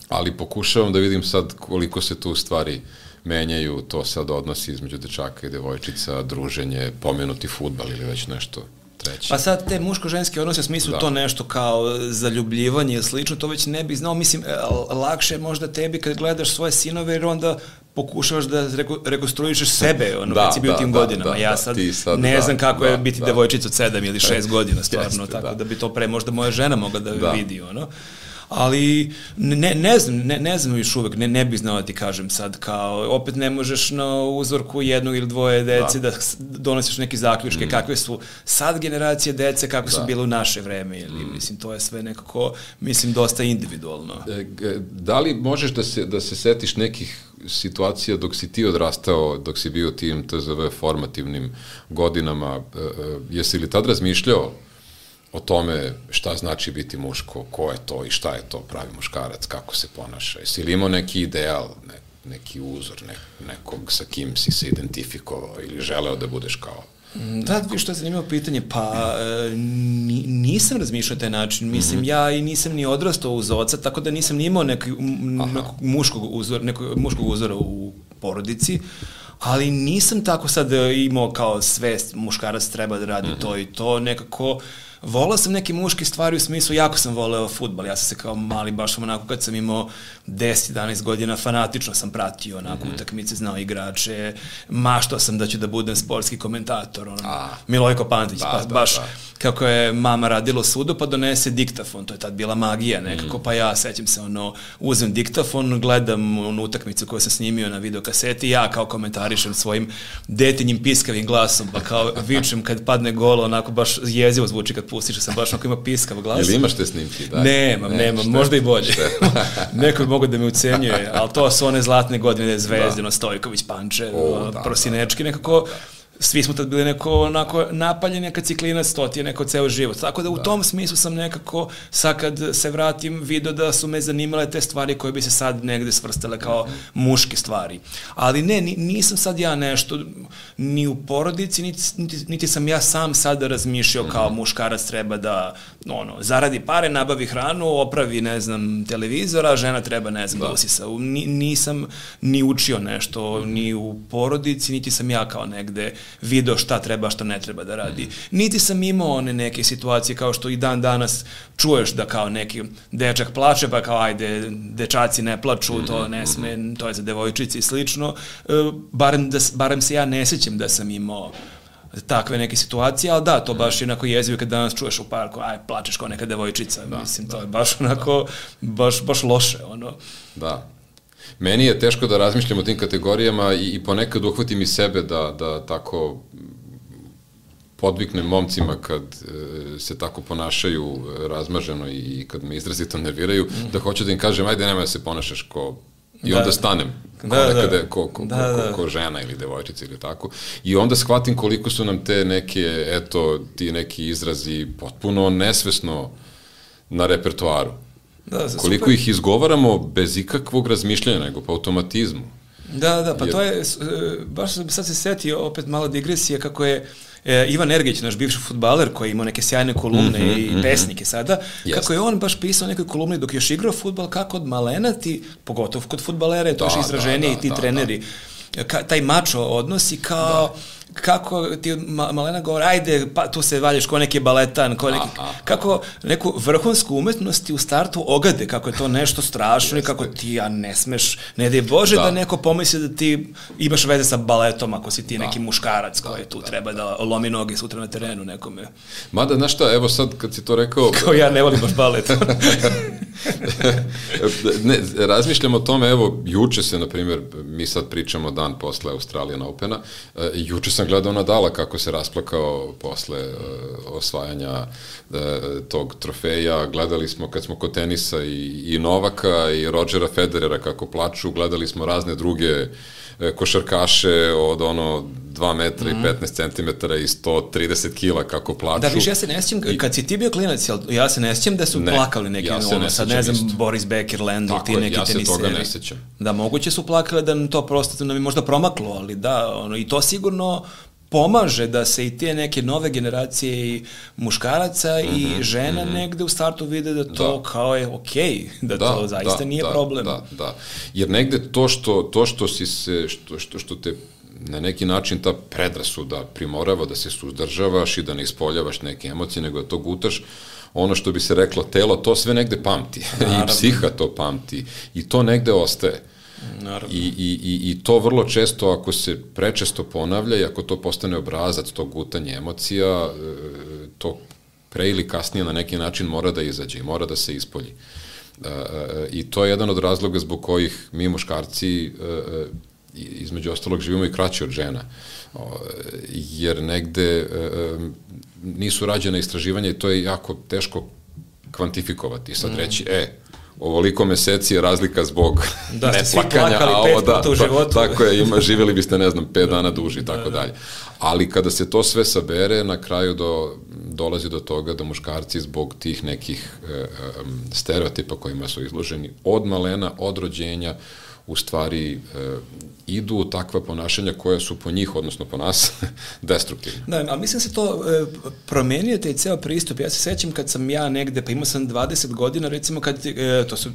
ali pokušavam da vidim sad koliko se tu stvari menjaju, to sad odnosi između dečaka i devojčica, druženje, pomenuti fudbal ili već nešto treće. Pa sad te muško-ženske odnose u smislu to nešto kao zaljubljivanje i slično, to već ne bih znao, mislim, lakše je možda tebi kad gledaš svoje sinove jer onda pokušavaš da rekonstruišeš sebe kad si bio tim godinama. Ja sad ne znam kako je biti devojčica od 7 ili 6 godina stvarno, tako da bi to pre možda moja žena mogla da vidi, ali ne znam još uvek, ne bih znao da ti kažem sad, kao, opet ne možeš na uzorku 1 ili 2 dece da donosiš neke zaključke, kakve su sad generacije dece, kakve su bile u naše vreme, ili, mislim, to je sve nekako, mislim, dosta individualno. Da li možeš da se setiš nekih situacija dok si ti odrastao, dok si bio tim TZV formativnim godinama, jesi li tad razmišljao o tome šta znači biti muško, ko je to i šta je to pravi muškarac, kako se ponaša? Jesi li imao neki ideal, neki uzor, nekog sa kim si se identifikovao ili želeo da budeš kao? Da, što je zanimljivo pitanje, pa nisam razmišljao taj način, mislim, ja i nisam ni odrastao uz oca, tako da nisam ni imao nekog muškog uzora u porodici, ali nisam tako sad imao kao svest, muškarac treba da radi to i to, nekako volao sam neke muške stvari u smislu, jako sam voleo fudbal, ja sam se kao mali, baš onako kad sam imao 10-11 godina, fanatično sam pratio onako utakmice, znao igrače, maštao sam da ću da budem sportski komentator, Milojko Pantić, baš kako je mama radila u sudu, pa donese diktafon, to je tad bila magija nekako, pa ja sećam se, uzem diktafon, gledam utakmicu koju sam snimio na videokaseti, ja kao komentarišem svojim detinjim piskavim glasom, pa kao vičem kad padne gol, onako baš jezivo zvuči kad pustiš, sam baš onako ima piskav glas. Ili imaš te snimke? Nemam, možda i bolje. Neko bi mogao da me ucenjuje, ali to su one zlatne godine, Zvezdino, Stojković, Pančev, Prosinečki, nekako svi smo tad bili neko onako napaljen, neka ciklinac, to ti je neko ceo život. Tako da u tom smislu sam nekako, sad kad se vratim, vidio da su me zanimale te stvari koje bi se sad negde svrstale kao muške stvari. Ali ne, nisam sad ja nešto ni u porodici, niti sam ja sam sad razmišljao kao muškarac treba da zaradi pare, nabavi hranu, opravi, ne znam, televizora, žena treba, ne znam, da usisa. Nisam ni učio nešto, ni u porodici, niti sam ja kao negde video šta treba, šta ne treba da radi. Niti sam imao one neke situacije kao što i dan danas čuješ da kao neki dečak plače, pa kao ajde, dečaci ne plaču, to ne sme, to je za devojčici i slično. Barem se ja ne sećam da sam imao takve neke situacije, ali da, to baš jednako jezivo kad danas čuješ u parku, aj, plačeš kao neka devojčica, mislim, to je baš onako, baš loše, Da. Meni je teško da razmišljam o tim kategorijama i ponekad uhvatim i sebe da tako podviknem momcima kad se tako ponašaju razmaženo i kad me izrazito nerviraju, da hoću da im kažem, ajde, nemoj da se ponašaš ko... I onda stanem, ko žena ili devojčica ili tako. I onda shvatim koliko su nam te neke, ti neki izrazi potpuno nesvesno na repertoaru. Koliko ih izgovaramo bez ikakvog razmišljanja, nego po automatizmu. Da, pa to je, baš sad se setio opet malo digresije kako je Ivan Ergić, naš bivši fudbaler koji ima neke sjajne kolumne i pesnike sada, kako je on baš pisao nekoj kolumni dok još igrao fudbal, kako od malena ti, pogotovo kod fudbalera, je to još izraženije i ti treneri, taj mačo odnosi kao kako ti Malena govori, ajde, pa tu se valjaš ko neki baletan, kako neku vrhunsku umetnost ti u startu ogade, kako je to nešto strašno i kako ti, ne smeš, ne daj Bože da neko pomisli da ti imaš veze sa baletom ako si ti neki muškarac koji tu treba da lomi noge sutra na terenu nekome. Mada, znaš šta, evo sad kad si to rekao... Kao ja ne volim baš balet. Ne, razmišljam o tome, evo, juče se, na primjer, mi sad pričamo dan posle Australian Opena, juče sam gledao Nadala kako se rasplakao posle osvajanja tog trofeja, gledali smo kad smo kod tenisa i Novaka i Rodgera Federera kako plaču, gledali smo razne druge košarkaše od 2 metra i 15 centimetara i 130 kila kako plaču. Da, više ja se ne sjećam, kad si ti bio klinac, ja se ne sjećam da su plakali neki, sad ne znam, Boris Becker, Lendl, ti neki teniseri. Ja se toga ne sjećam. Da, moguće su plakali da nam to prosto nam je možda promaklo, ali da, i to sigurno pomaže da se i te neke nove generacije i muškaraca i žena negde u startu vide da to kao je okej, da to zaista nije problem. Da. Jer negde to što si se, što te na neki način ta predrasuda primorava da se suzdržavaš i da ne ispoljavaš neke emocije, nego da to gutaš, ono što bi se reklo telo, to sve negde pamti. I psiha to pamti. I to negde ostaje. I to vrlo često, ako se prečesto ponavlja i ako to postane obrazac, to gutanje emocija, to pre ili kasnije na neki način mora da izađe i mora da se ispolji. I to je jedan od razloga zbog kojih mi muškarci između ostalog živimo i kraće od žena, jer negde nisu rađena istraživanja i to je jako teško kvantifikovati. Sad reći, ovoliko meseci je razlika zbog neplakanja, a ovo tako je, živjeli biste, ne znam, 5 dana duži i tako dalje. Ali kada se to sve sabere, na kraju dolazi do toga da muškarci zbog tih nekih stereotipa kojima su izloženi od malena, od rođenja, u stvari idu u takva ponašanja koja su po njih, odnosno po nas, destruktivne. Da, ali mislim se to promenio taj ceo pristup. Ja se sećam kad sam ja negde, pa imao sam 20 godina, recimo,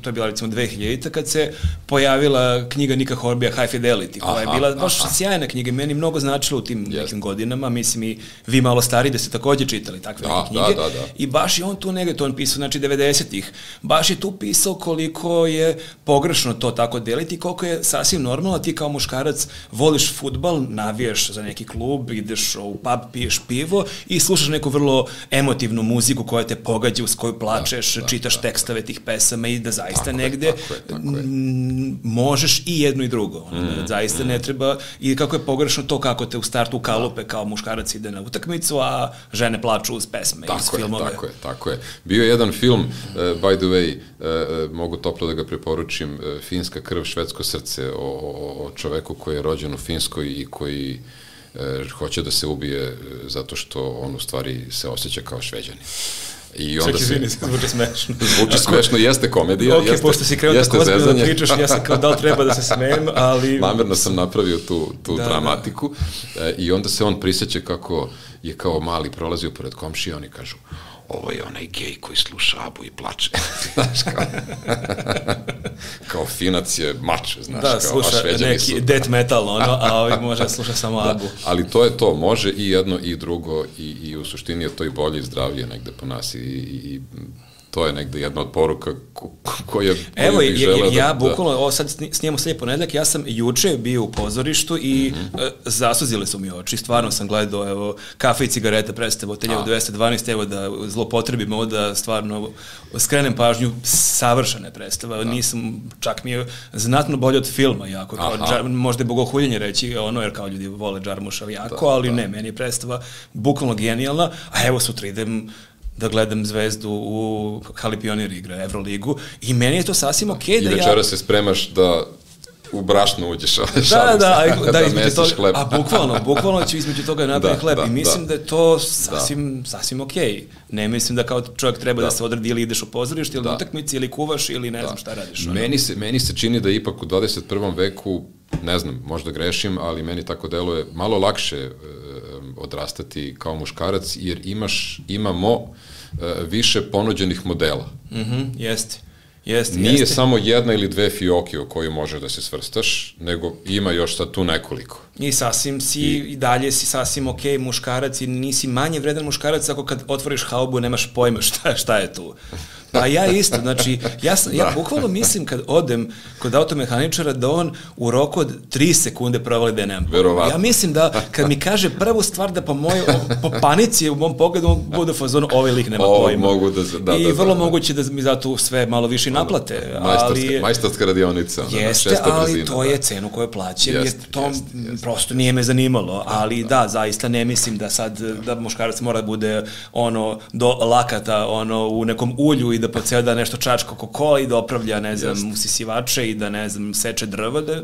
to je bila recimo 2000-ta, kad se pojavila knjiga Nika Horbija High Fidelity, koja je bila baš sjajna knjiga, meni mnogo značila u tim nekim godinama, mislim i vi malo stariji da ste takođe čitali takve neke knjige. I baš je on tu negde, to on pisao, znači 90-ih, baš je tu pisao koliko je pogrešno to tako deliti, koliko je sasvim normalno, ti kao muškarac voliš fudbal, navijaš za neki klub, ideš u pub, piješ pivo i slušaš neku vrlo emotivnu muziku koja te pogađa, uz koju plačeš, čitaš tekstove tih pesama i da zaista negde možeš i jedno i drugo. Zaista ne treba, i kako je pogrešno to kako te u startu kalupe kao muškarac ide na utakmicu, a žene plaču uz pesme iz filmove. Tako je. Bio je jedan film, by the way, mogu toplo da ga preporučim, Finska krv, švedsko srce, o čoveku koji je rođen u Finskoj i koji hoće da se ubije zato što on u stvari se osjeća kao Šveđanin. Čak izvini, zvuči smešno. Zvuči smešno, jeste komedija, jeste zezanje. Pošto si krenuo tako ozbiljno da pričaš, ja sam kao da li treba da se smejem, ali... Namerno sam napravio tu dramatiku i onda se on prisjeća kako je kao mali prolazio pored komšije, oni kažu, ovo je onaj gej koji sluša Abu i plače. Znaš, kao Finac je mač, znaš, da, kao, sluša neki death metal, a ovaj može da sluša samo Abu. Ali to je to, može i jedno i drugo i u suštini je to i bolje i zdravlje negde po nas i to je negde jedna od poruka koju bih želeo da... Ja bukvalno, sad snijemo sljedeći ponedeljak, ja sam juče bio u pozorištu i zasuzile su mi oči, stvarno sam gledao, evo, Kafe i cigareta predstava od 1912, evo da zlopotrebim ovo da stvarno skrenem pažnju, savršena predstava, nisam, čak mi je znatno bolje od filma, jako, možda je bogohuljenje reći, jer kao ljudi vole Džarmuša jako, ali ne, meni je predstava bukvalno genijalna, a evo sutra idem da gledam Zvezdu u Hali Pionir igra Evroligu i meni je to sasvim okej da ja... I večera se spremaš da u brašno uđeš. Da, između toga, a bukvalno ću između toga napraviti hleb i mislim da je to sasvim okej. Ne mislim da kao čovjek treba da se odradi ili ideš u pozorište ili na utakmici ili kuvaš ili ne znam šta radiš. Meni se čini da ipak u 21. veku, ne znam, možda grešim, ali meni tako deluje malo lakše odrastati kao muškarac, jer imamo više ponuđenih modela. Jeste. Nije samo jedna ili dve fioke u koju možeš da se svrstaš, nego ima još sad tu nekoliko. I sasvim i dalje si sasvim okej muškarac i nisi manje vredan muškarac ako kad otvoriš haubu nemaš pojma šta je tu. Pa ja isto, znači, ja bukvalno mislim kad odem kod automehaničara da on u roku od 3 sekunde provali da je nemam pojma. Ja mislim da kad mi kaže prvu stvar da po panici u mom pogledu on bude u fazonu ovaj lik nema pojma. I vrlo moguće da mi zato sve malo više naplate. Majstorska radionica. Jeste, ali to je cenu koju plaćam, jer to prosto nije me zanimalo, ali da, zaista ne mislim da sad, da muškarac mora da bude do lakata, u nekom ulju i da po ceo da nešto čačka kokola i da opravlja, ne znam, usisivače i da, ne znam, seče drva, da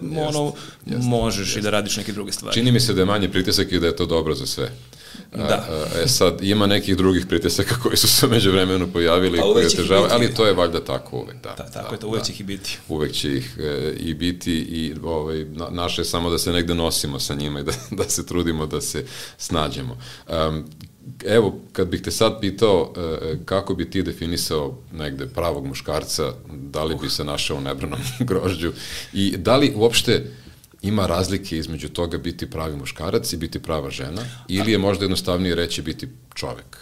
možeš i da radiš neke druge stvari. Čini mi se da je manji pritisak i da je to dobro za sve. Da. Sad, ima nekih drugih pritisaka koji su se među vremenu pojavili i koji otežavaju, ali to je valjda tako uvek. Tako je to, uvek će ih i biti. Uvek će ih i biti i naše je samo da se negde nosimo sa njima i da se trudimo da se snađemo. Evo, kad bih te sad pitao kako bi ti definisao negde pravog muškarca, da li bi se našao u nebranom grožđu i da li uopšte ima razlike između toga biti pravi muškarac i biti prava žena ili je možda jednostavnije reći biti čovek?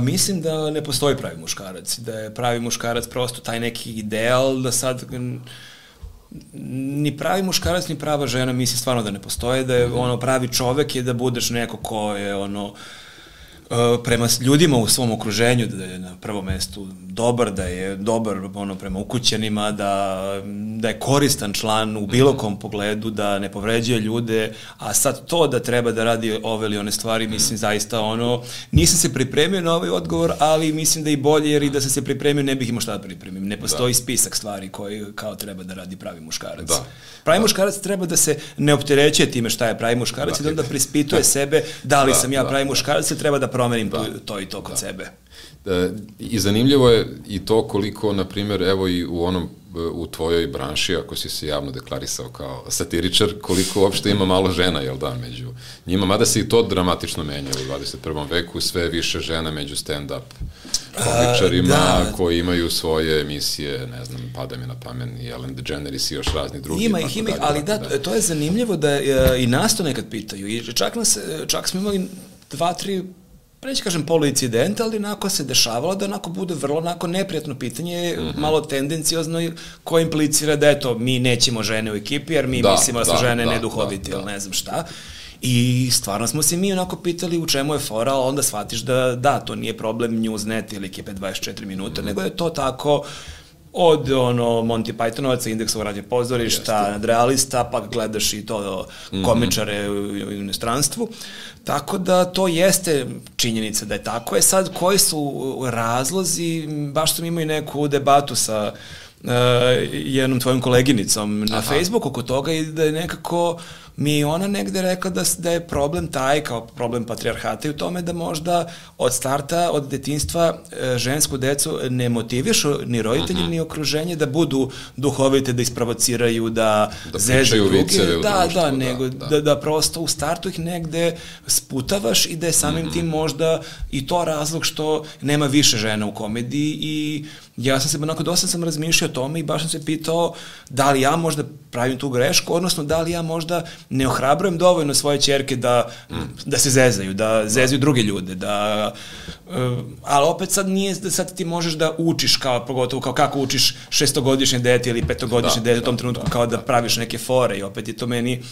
Mislim da ne postoji pravi muškarac, da je pravi muškarac prosto taj neki ideal, da sad ni pravi muškarac ni prava žena mislim stvarno da ne postoje, da je pravi čovek je da budeš neko ko je prema ljudima u svom okruženju, da je na prvom mestu dobar, da je dobar prema ukućanima, da je koristan član u bilo kom pogledu, da ne povređuje ljude, a sad to da treba da radi ove ili one stvari, mislim zaista nisam se pripremio na ovaj odgovor, ali mislim da i bolje, jer i da sam se pripremio ne bih imao šta da pripremim. Ne postoji spisak stvari koji kao treba da radi pravi muškarac. Pravi muškarac treba da se ne opterećuje time šta je pravi muškarac i da onda prispituje sebe da li sam ja pravi muškarac i treba da promenim to i to kod sebe. I zanimljivo je i to koliko, na primjer, evo i u tvojoj branši, ako si se javno deklarisao kao satiričar, koliko uopšte ima malo žena, jel da, među njima, mada se i to dramatično menja u 21. veku, sve više žena među stand-up komičarima koji imaju svoje emisije, ne znam, pada mi na pamet i Ellen DeGeneres i još razni drugi. Ima ih, ali to je zanimljivo da i nas to nekad pitaju i čak smo imali 2-3 neću kažem poluincident, ali onako se dešavalo da onako bude vrlo onako neprijatno pitanje, malo tendencijozno koje implicira da eto, mi nećemo žene u ekipi jer mi mislimo da su žene neduhovite ili ne znam šta. I stvarno smo se mi onako pitali u čemu je fora, ali onda shvatiš da to nije problem Newsnet ili ekipe 24 minuta, nego je to tako od Monty Pythonovaca, Indeksova radio pozorišta, nadrealista, pa gledaš i to komičare u inostranstvu. Tako da to jeste činjenica da je tako. Sad, koji su razlozi, baš sam imao i neku debatu sa jednom tvojom koleginicom na Facebooku oko toga i da je nekako mi ona negde rekla da je problem taj, kao problem patrijarhata i u tome da možda od starta, od detinjstva žensku decu ne motivišu ni roditelji ni okruženje da budu duhovite, da isprovociraju, da zezaju druge, nego da prosto u startu ih negde sputavaš i da je samim tim možda i to razlog što nema više žena u komediji i ja sam se onako dosta sam razmišljao o tome i baš sam se pitao da li ja možda pravim tu grešku, odnosno da li ja možda ne ohrabrujem dovoljno svoje ćerke da se zezaju, da zezaju druge ljude, ali opet sad nije da sad ti možeš da učiš pogotovo kao kako učiš 6-godišnje dete ili 5-godišnje dete u tom trenutku kao da praviš neke fore i opet je to meni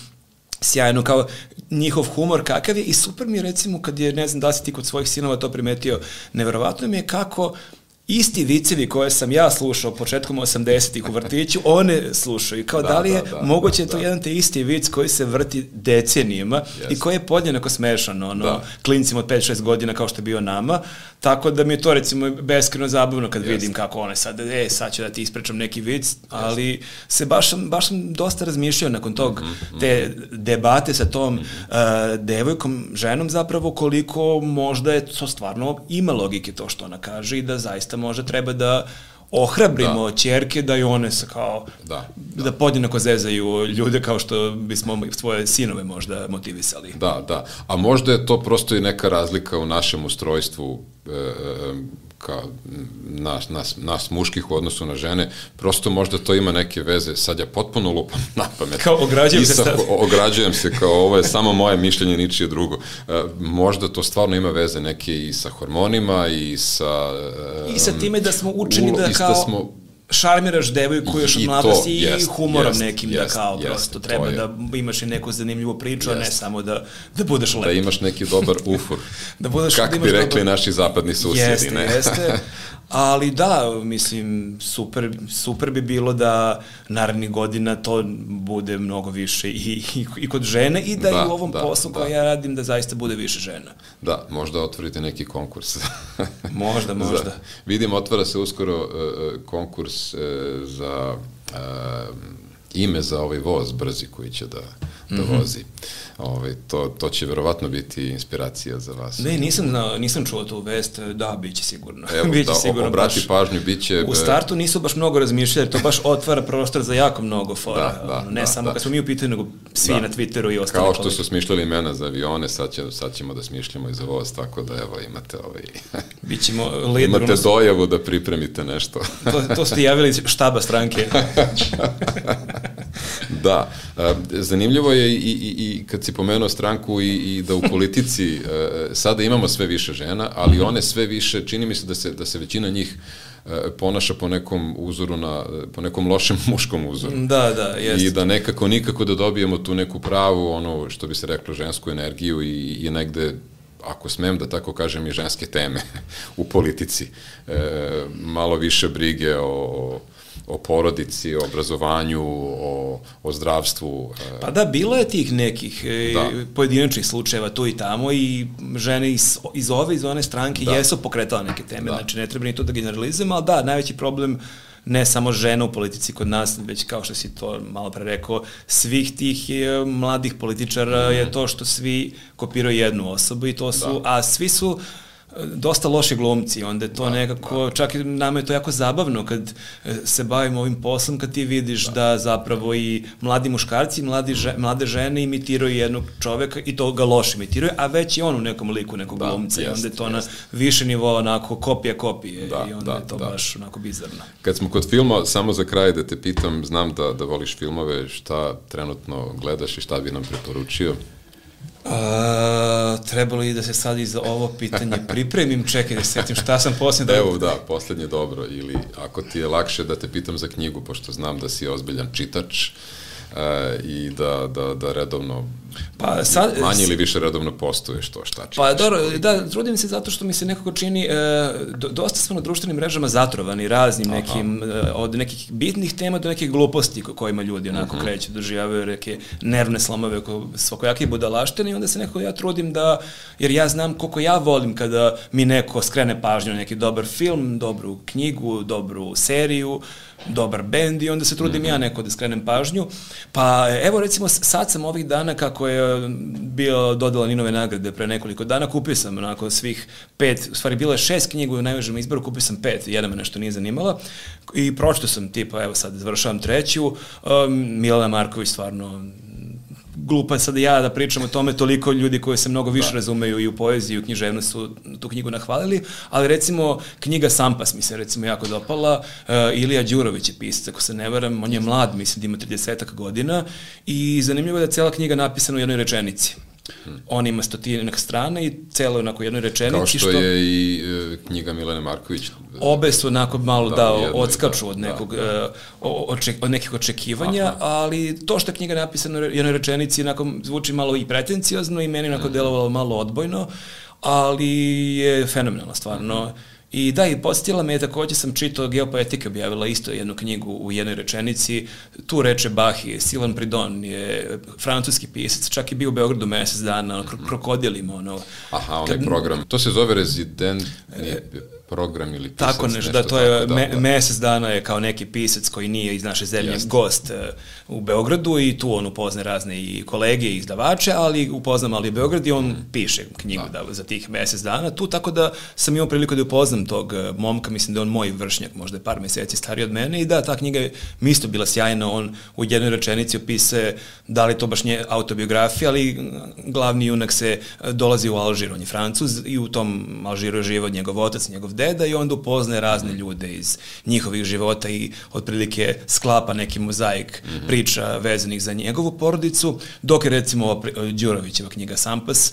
sjajno, kao njihov humor kakav je i super mi je recimo kad je, ne znam da si ti kod svojih sinova to primetio, neverovatno mi je kako isti vicevi koje sam ja slušao početkom 80-ih u vrtiću, one slušaju. Kao da li je moguće to jedan te isti vic koji se vrti decenijima i koji je podjednako smešan klincima od 5-6 godina kao što je bio nama. Tako da mi je to recimo beskreno zabavno kad vidim kako one sad, sad ću da ti ispričam neki vic, ali se baš sam dosta razmišljao nakon tog te debate sa tom devojkom, ženom zapravo koliko možda je to stvarno ima logike to što ona kaže i da zaista možda treba da ohrabrimo ćerke da i one se kao da podjednako zezaju ljude kao što bismo svoje sinove možda motivisali. Da. A možda je to prosto i neka razlika u našem ustrojstvu nas muških u odnosu na žene, prosto možda to ima neke veze, sad ja potpuno lupam na pamet. Kao ograđujem se sad. Ograđujem se, kao ovo je samo moje mišljenje, ničije drugo. Možda to stvarno ima veze neke i sa hormonima i sa... I sa time da smo učeni da kao... šarmiraš devojku još od mladosti i humorom nekim da kao prosto treba da imaš i neku zanimljivu priču, a ne samo da budeš lep. Da imaš neki dobar ufur. Kako bi rekli naši zapadni susjedi, ne? Jeste, ali da, mislim, super bi bilo da narednih godina to bude mnogo više i kod žene i da i u ovom poslu koji ja radim da zaista bude više žena. Da, možda otvorite neki konkurs. Možda. Vidim, otvara se uskoro konkurs za ime za ovaj voz brzi koji će da vozi. To će verovatno biti inspiracija za vas. Ne, nisam čuo tu vest, da, biće sigurno. Evo, obrati pažnju, biće... U startu nisu baš mnogo razmišljali, to baš otvara prostor za jako mnogo fora. Ne samo kad smo mi u pitanju, nego svi na Twitteru i ostali. Kao što su smišljali imena za avione, sad ćemo da smišljamo i za voz, tako da evo imate imate dojavu da pripremite nešto. To ste javili štaba stranke. Da, zanimljivo je i kad si pomenuo stranku i da u politici sada imamo sve više žena, ali one sve više, čini mi se da se većina njih ponaša po nekom uzoru po nekom lošem muškom uzoru. Da, jeste. I da nikako da dobijemo tu neku pravu, ono što bi se reklo, žensku energiju i negde, ako smem da tako kažem, i ženske teme u politici. Malo više brige o porodici, o obrazovanju, o zdravstvu. Pa da, bilo je tih nekih pojedinačnih slučajeva tu i tamo i žene iz one stranke jesu pokretala neke teme, znači ne treba ni to da generalizujemo, ali da, najveći problem ne samo žena u politici kod nas, već kao što si to malo pre rekao, svih tih mladih političara je to što svi kopiraju jednu osobu i to su, a svi su dosta loši glumci, onda je to nekako, čak i nama je to jako zabavno kad se bavimo ovim poslom, kad ti vidiš da zapravo i mladi muškarci, mlade žene imitiraju jednog čoveka i to ga loše imitiraju, a već i on u nekom liku nekog glumca i onda je to na više nivoa onako kopije i onda je to baš onako bizarno. Kad smo kod filma, samo za kraj da te pitam, znam da voliš filmove, šta trenutno gledaš i šta bi nam preporučio? Trebalo i da se sad i za ovo pitanje pripremim, čekaj da se setim šta sam posljednje... Evo da, posljednje dobro, ili ako ti je lakše da te pitam za knjigu, pošto znam da si ozbiljan čitač i da redovno, manje ili više redovno postuješ to šta čitaš. Pa dobro, da, trudim se zato što mi se nekako čini, dosta smo na društvenim mrežama zatrovani raznim nekim, od nekih bitnih tema do nekih gluposti kojima ljudi onako kreću, doživljavaju neke nervne slomove, svakojake budalaštine i onda se nekako ja trudim da, jer ja znam koliko ja volim kada mi neko skrene pažnju na neki dobar film, dobru knjigu, dobru seriju, dobar bend i onda se trudim ja neko da skrenem pažnju. Pa evo recimo sad sam ovih dana kako je bio dodala Ninove nagrade pre nekoliko dana, kupio sam onako svih 5, u stvari bilo je 6 knjiga u najvežem izboru, kupio sam 5, jedna me nešto nije zanimala i pročito sam tipa, evo sad završavam 3. Milana Marković stvarno glupa sad ja da pričam o tome, toliko ljudi koji se mnogo više razumeju i u poeziji i u književnosti su tu knjigu nahvalili, ali recimo knjiga Sampas mi se recimo jako dopala, Ilija Đurović je pisac, ako se ne varam, on je mlad, mislim da ima 30 godina i zanimljivo je da je cela knjiga napisana u jednoj rečenici. On ima 100 strana i celo onako jednoj rečenici. Kao što je i knjiga Milane Marković. Obe su onako malo odskaču od nekih očekivanja, ali to što je knjiga napisana u jednoj rečenici onako zvuči malo i pretencijozno i meni onako delovalo malo odbojno, ali je fenomenalno stvarno. I da, i podsjetila me je takođe sam čitao, Geopoetika objavila isto jednu knjigu u jednoj rečenici, tu reče Bahi, Sylvain Pridon je francuski pisac, čak je bio u Beogradu mesec dana, krokodilima, ono. Aha, onaj program, to se zove rezident program ili pisac. Tako nešto, da, to je mesec dana je kao neki pisac koji nije iz naše zemlje gost u Beogradu i tu on upozna razne i kolege i izdavače, ali upozna mali Beograd i on piše knjigu za tih mesec dana tu, tako da sam imao priliku da upoznam tog momka, mislim da je on moj vršnjak, možda je par meseci stariji od mene i da, ta knjiga je mi isto bila sjajna, on u jednoj rečenici opisuje da li to baš nije autobiografija, ali glavni junak se dolazi u Alžir, on je Francuz i u tom Alžiru je živao njegov otac, njegov deda i onda upoznaje razne ljude iz njihovih života i otprilike sklapa neki mozaik priča vezanih za njegovu porodicu, dok je recimo Đurovićeva knjiga Sampas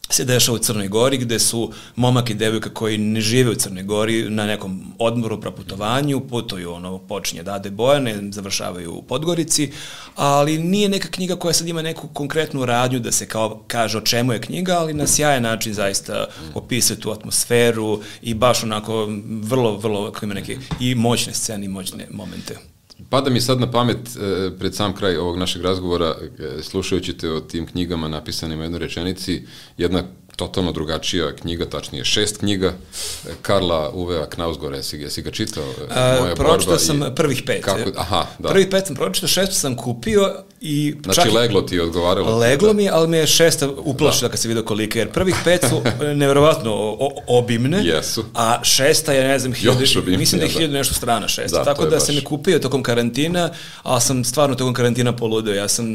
se dešava u Crnoj Gori, gde su momak i devojka koji ne žive u Crnoj Gori na nekom odmoru, proputovanju, putuju, počinje Dade Bojane, završavaju u Podgorici, ali nije neka knjiga koja sad ima neku konkretnu radnju da se kao kaže o čemu je knjiga, ali na sjajan način zaista opisuje tu atmosferu i baš onako vrlo ima neke i moćne scene i moćne momente. Pada mi sad na pamet, pred sam kraj ovog našeg razgovora, slušajući te o tim knjigama napisanim u jednoj rečenici, jedna totalno drugačija knjiga, tačnije 6 knjiga, Karla Uvea Knausgora, jesi ga čitao? Pročitao sam prvih 5. Aha, da. Prvih 5 sam pročitao, 6 sam kupio i... Znači leglo ti je odgovaralo? Leglo mi je, ali me je 6 uplašila kad se vidio kolika, jer prvih 5 su nevjerovatno obimne, a 6 je, ne znam, mislim da je 1000 nešto strana 6. Tako da sam je kupio tokom karantina, ali sam stvarno tokom karantina poludeo. Ja sam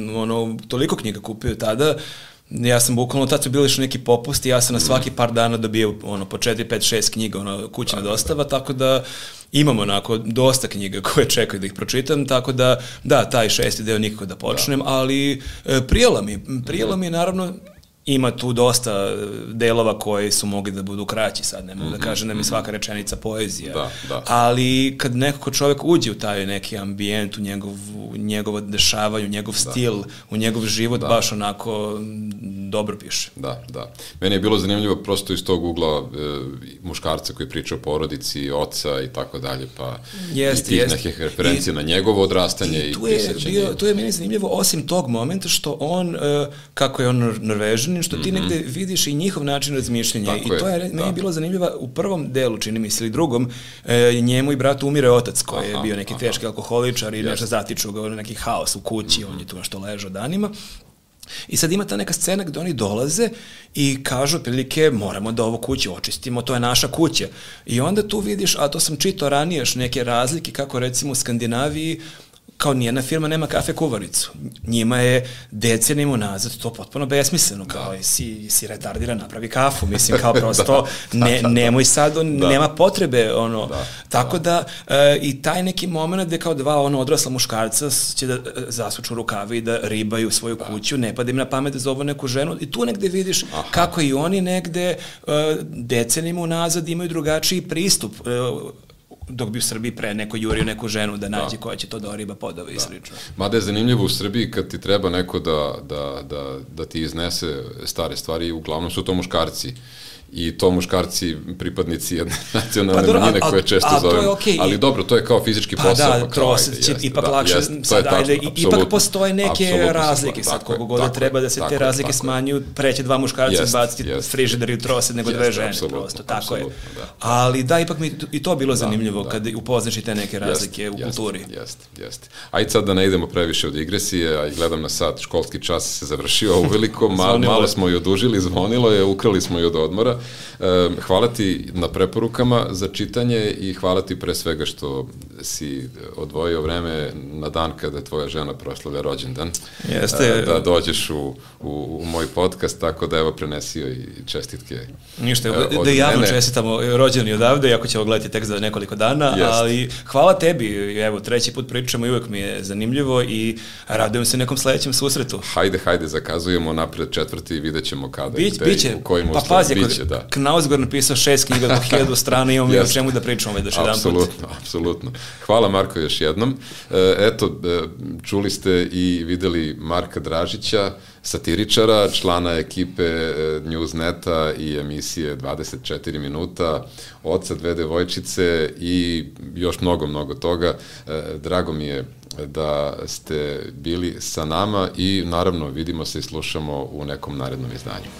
toliko knjiga kupio tada. Ja sam bukvalno, tad su bili još neki popusti, ja sam na svaki par dana dobio po 4, 5, 6 knjiga, kućna dostava, tako da imam onako dosta knjiga koje čekaju da ih pročitam, tako da, da, taj 6. deo nikako da počnem, ali prijelo mi naravno. Ima tu dosta delova koji su mogli da budu kraći sad, ne mogu da kažem da mi svaka rečenica poezija, ali kad nekako čovjek uđe u taj neki ambijent, u njegovo dešavanje, u njegov stil, u njegov život, baš onako dobro piše. Da. Meni je bilo zanimljivo prosto iz tog ugla muškarca koji priča o porodici, oca i tako dalje, pa i tih nekih referencija na njegovo odrastanje i pisaćenje. Tu je meni zanimljivo, osim tog momenta što on, kako je on Norvežan, što ti negde vidiš i njihov način razmišljanja. I to je meni bilo zanimljivo u prvom delu, čini mi se, ili drugom, njemu i bratu umire otac koji je bio neki teški alkoholičar i nešto zatiču ga, neki haos u kući, on je tu nešto ležao danima. I sad ima ta neka scena gde oni dolaze i kažu otprilike moramo da ovu kuću očistimo, to je naša kuća. I onda tu vidiš, a to sam čitao ranije, neke razlike kako recimo u Skandinaviji kao nijedna firma nema kafe kuvaricu. Njima je decenijama unazad to potpuno besmisleno, kao si retardiran, napravi kafu, mislim kao prosto nemoj sad, nema potrebe, tako da i taj neki moment gde kao dva odrasla muškarca će da zasuču rukave i da ribaju svoju kuću, ne pada im na pamet da zovu neku ženu i tu negde vidiš kako i oni negde decenijama unazad imaju drugačiji pristup, dok bi u Srbiji pre neko jurio neku ženu da nađe koja će to da oriba podove i slično. Mada je zanimljivo u Srbiji kad ti treba neko da ti iznese stare stvari, uglavnom su to muškarci. I to muškarci, pripadnici jedne nacionalne manjine koje često zovemo. Ali dobro, to je kao fizički posao. Pa da, trosed će ipak lakše, ipak postoje neke razlike, sad koliko god treba da se te razlike smanjuju, preće dva muškarca baciti frižider i trosed nego dve žene, prosto, tako je. Ali da, ipak mi i to bilo zanimljivo kad upoznaš i te neke razlike u kulturi. Jeste. Ajde sad da ne idemo previše od digresije, a i gledam na sat, školski čas se završio uveliko, malo smo i odužili, zvonilo je, ukrali smo i od odmora. Hvala ti na preporukama za čitanje i hvala ti pre svega što si odvojio vreme na dan kada tvoja žena proslavlja rođendan. Jeste. Da dođeš u moj podcast, tako da evo prenesio i čestitke. Ništa, da javno čestitamo rođendan i odavde, iako ćemo gledati tek za nekoliko dana, ali hvala tebi, evo, 3. put pričamo i uvek mi je zanimljivo i radujem se nekom sledećem susretu. Hajde, zakazujemo napred 4. i vidjet ćemo kada i gde, u kojim uslovima. Knausgor napisao 6 knjiga po 1000 strana, imamo i o čemu da pričamo već jedan put. Apsolutno. Hvala Marko još jednom. Eto, čuli ste i videli Marka Dražića, satiričara, člana ekipe Newsneta i emisije 24 minuta, oca dve devojčice i još mnogo toga. Drago mi je da ste bili sa nama i naravno vidimo se i slušamo u nekom narednom izdanju.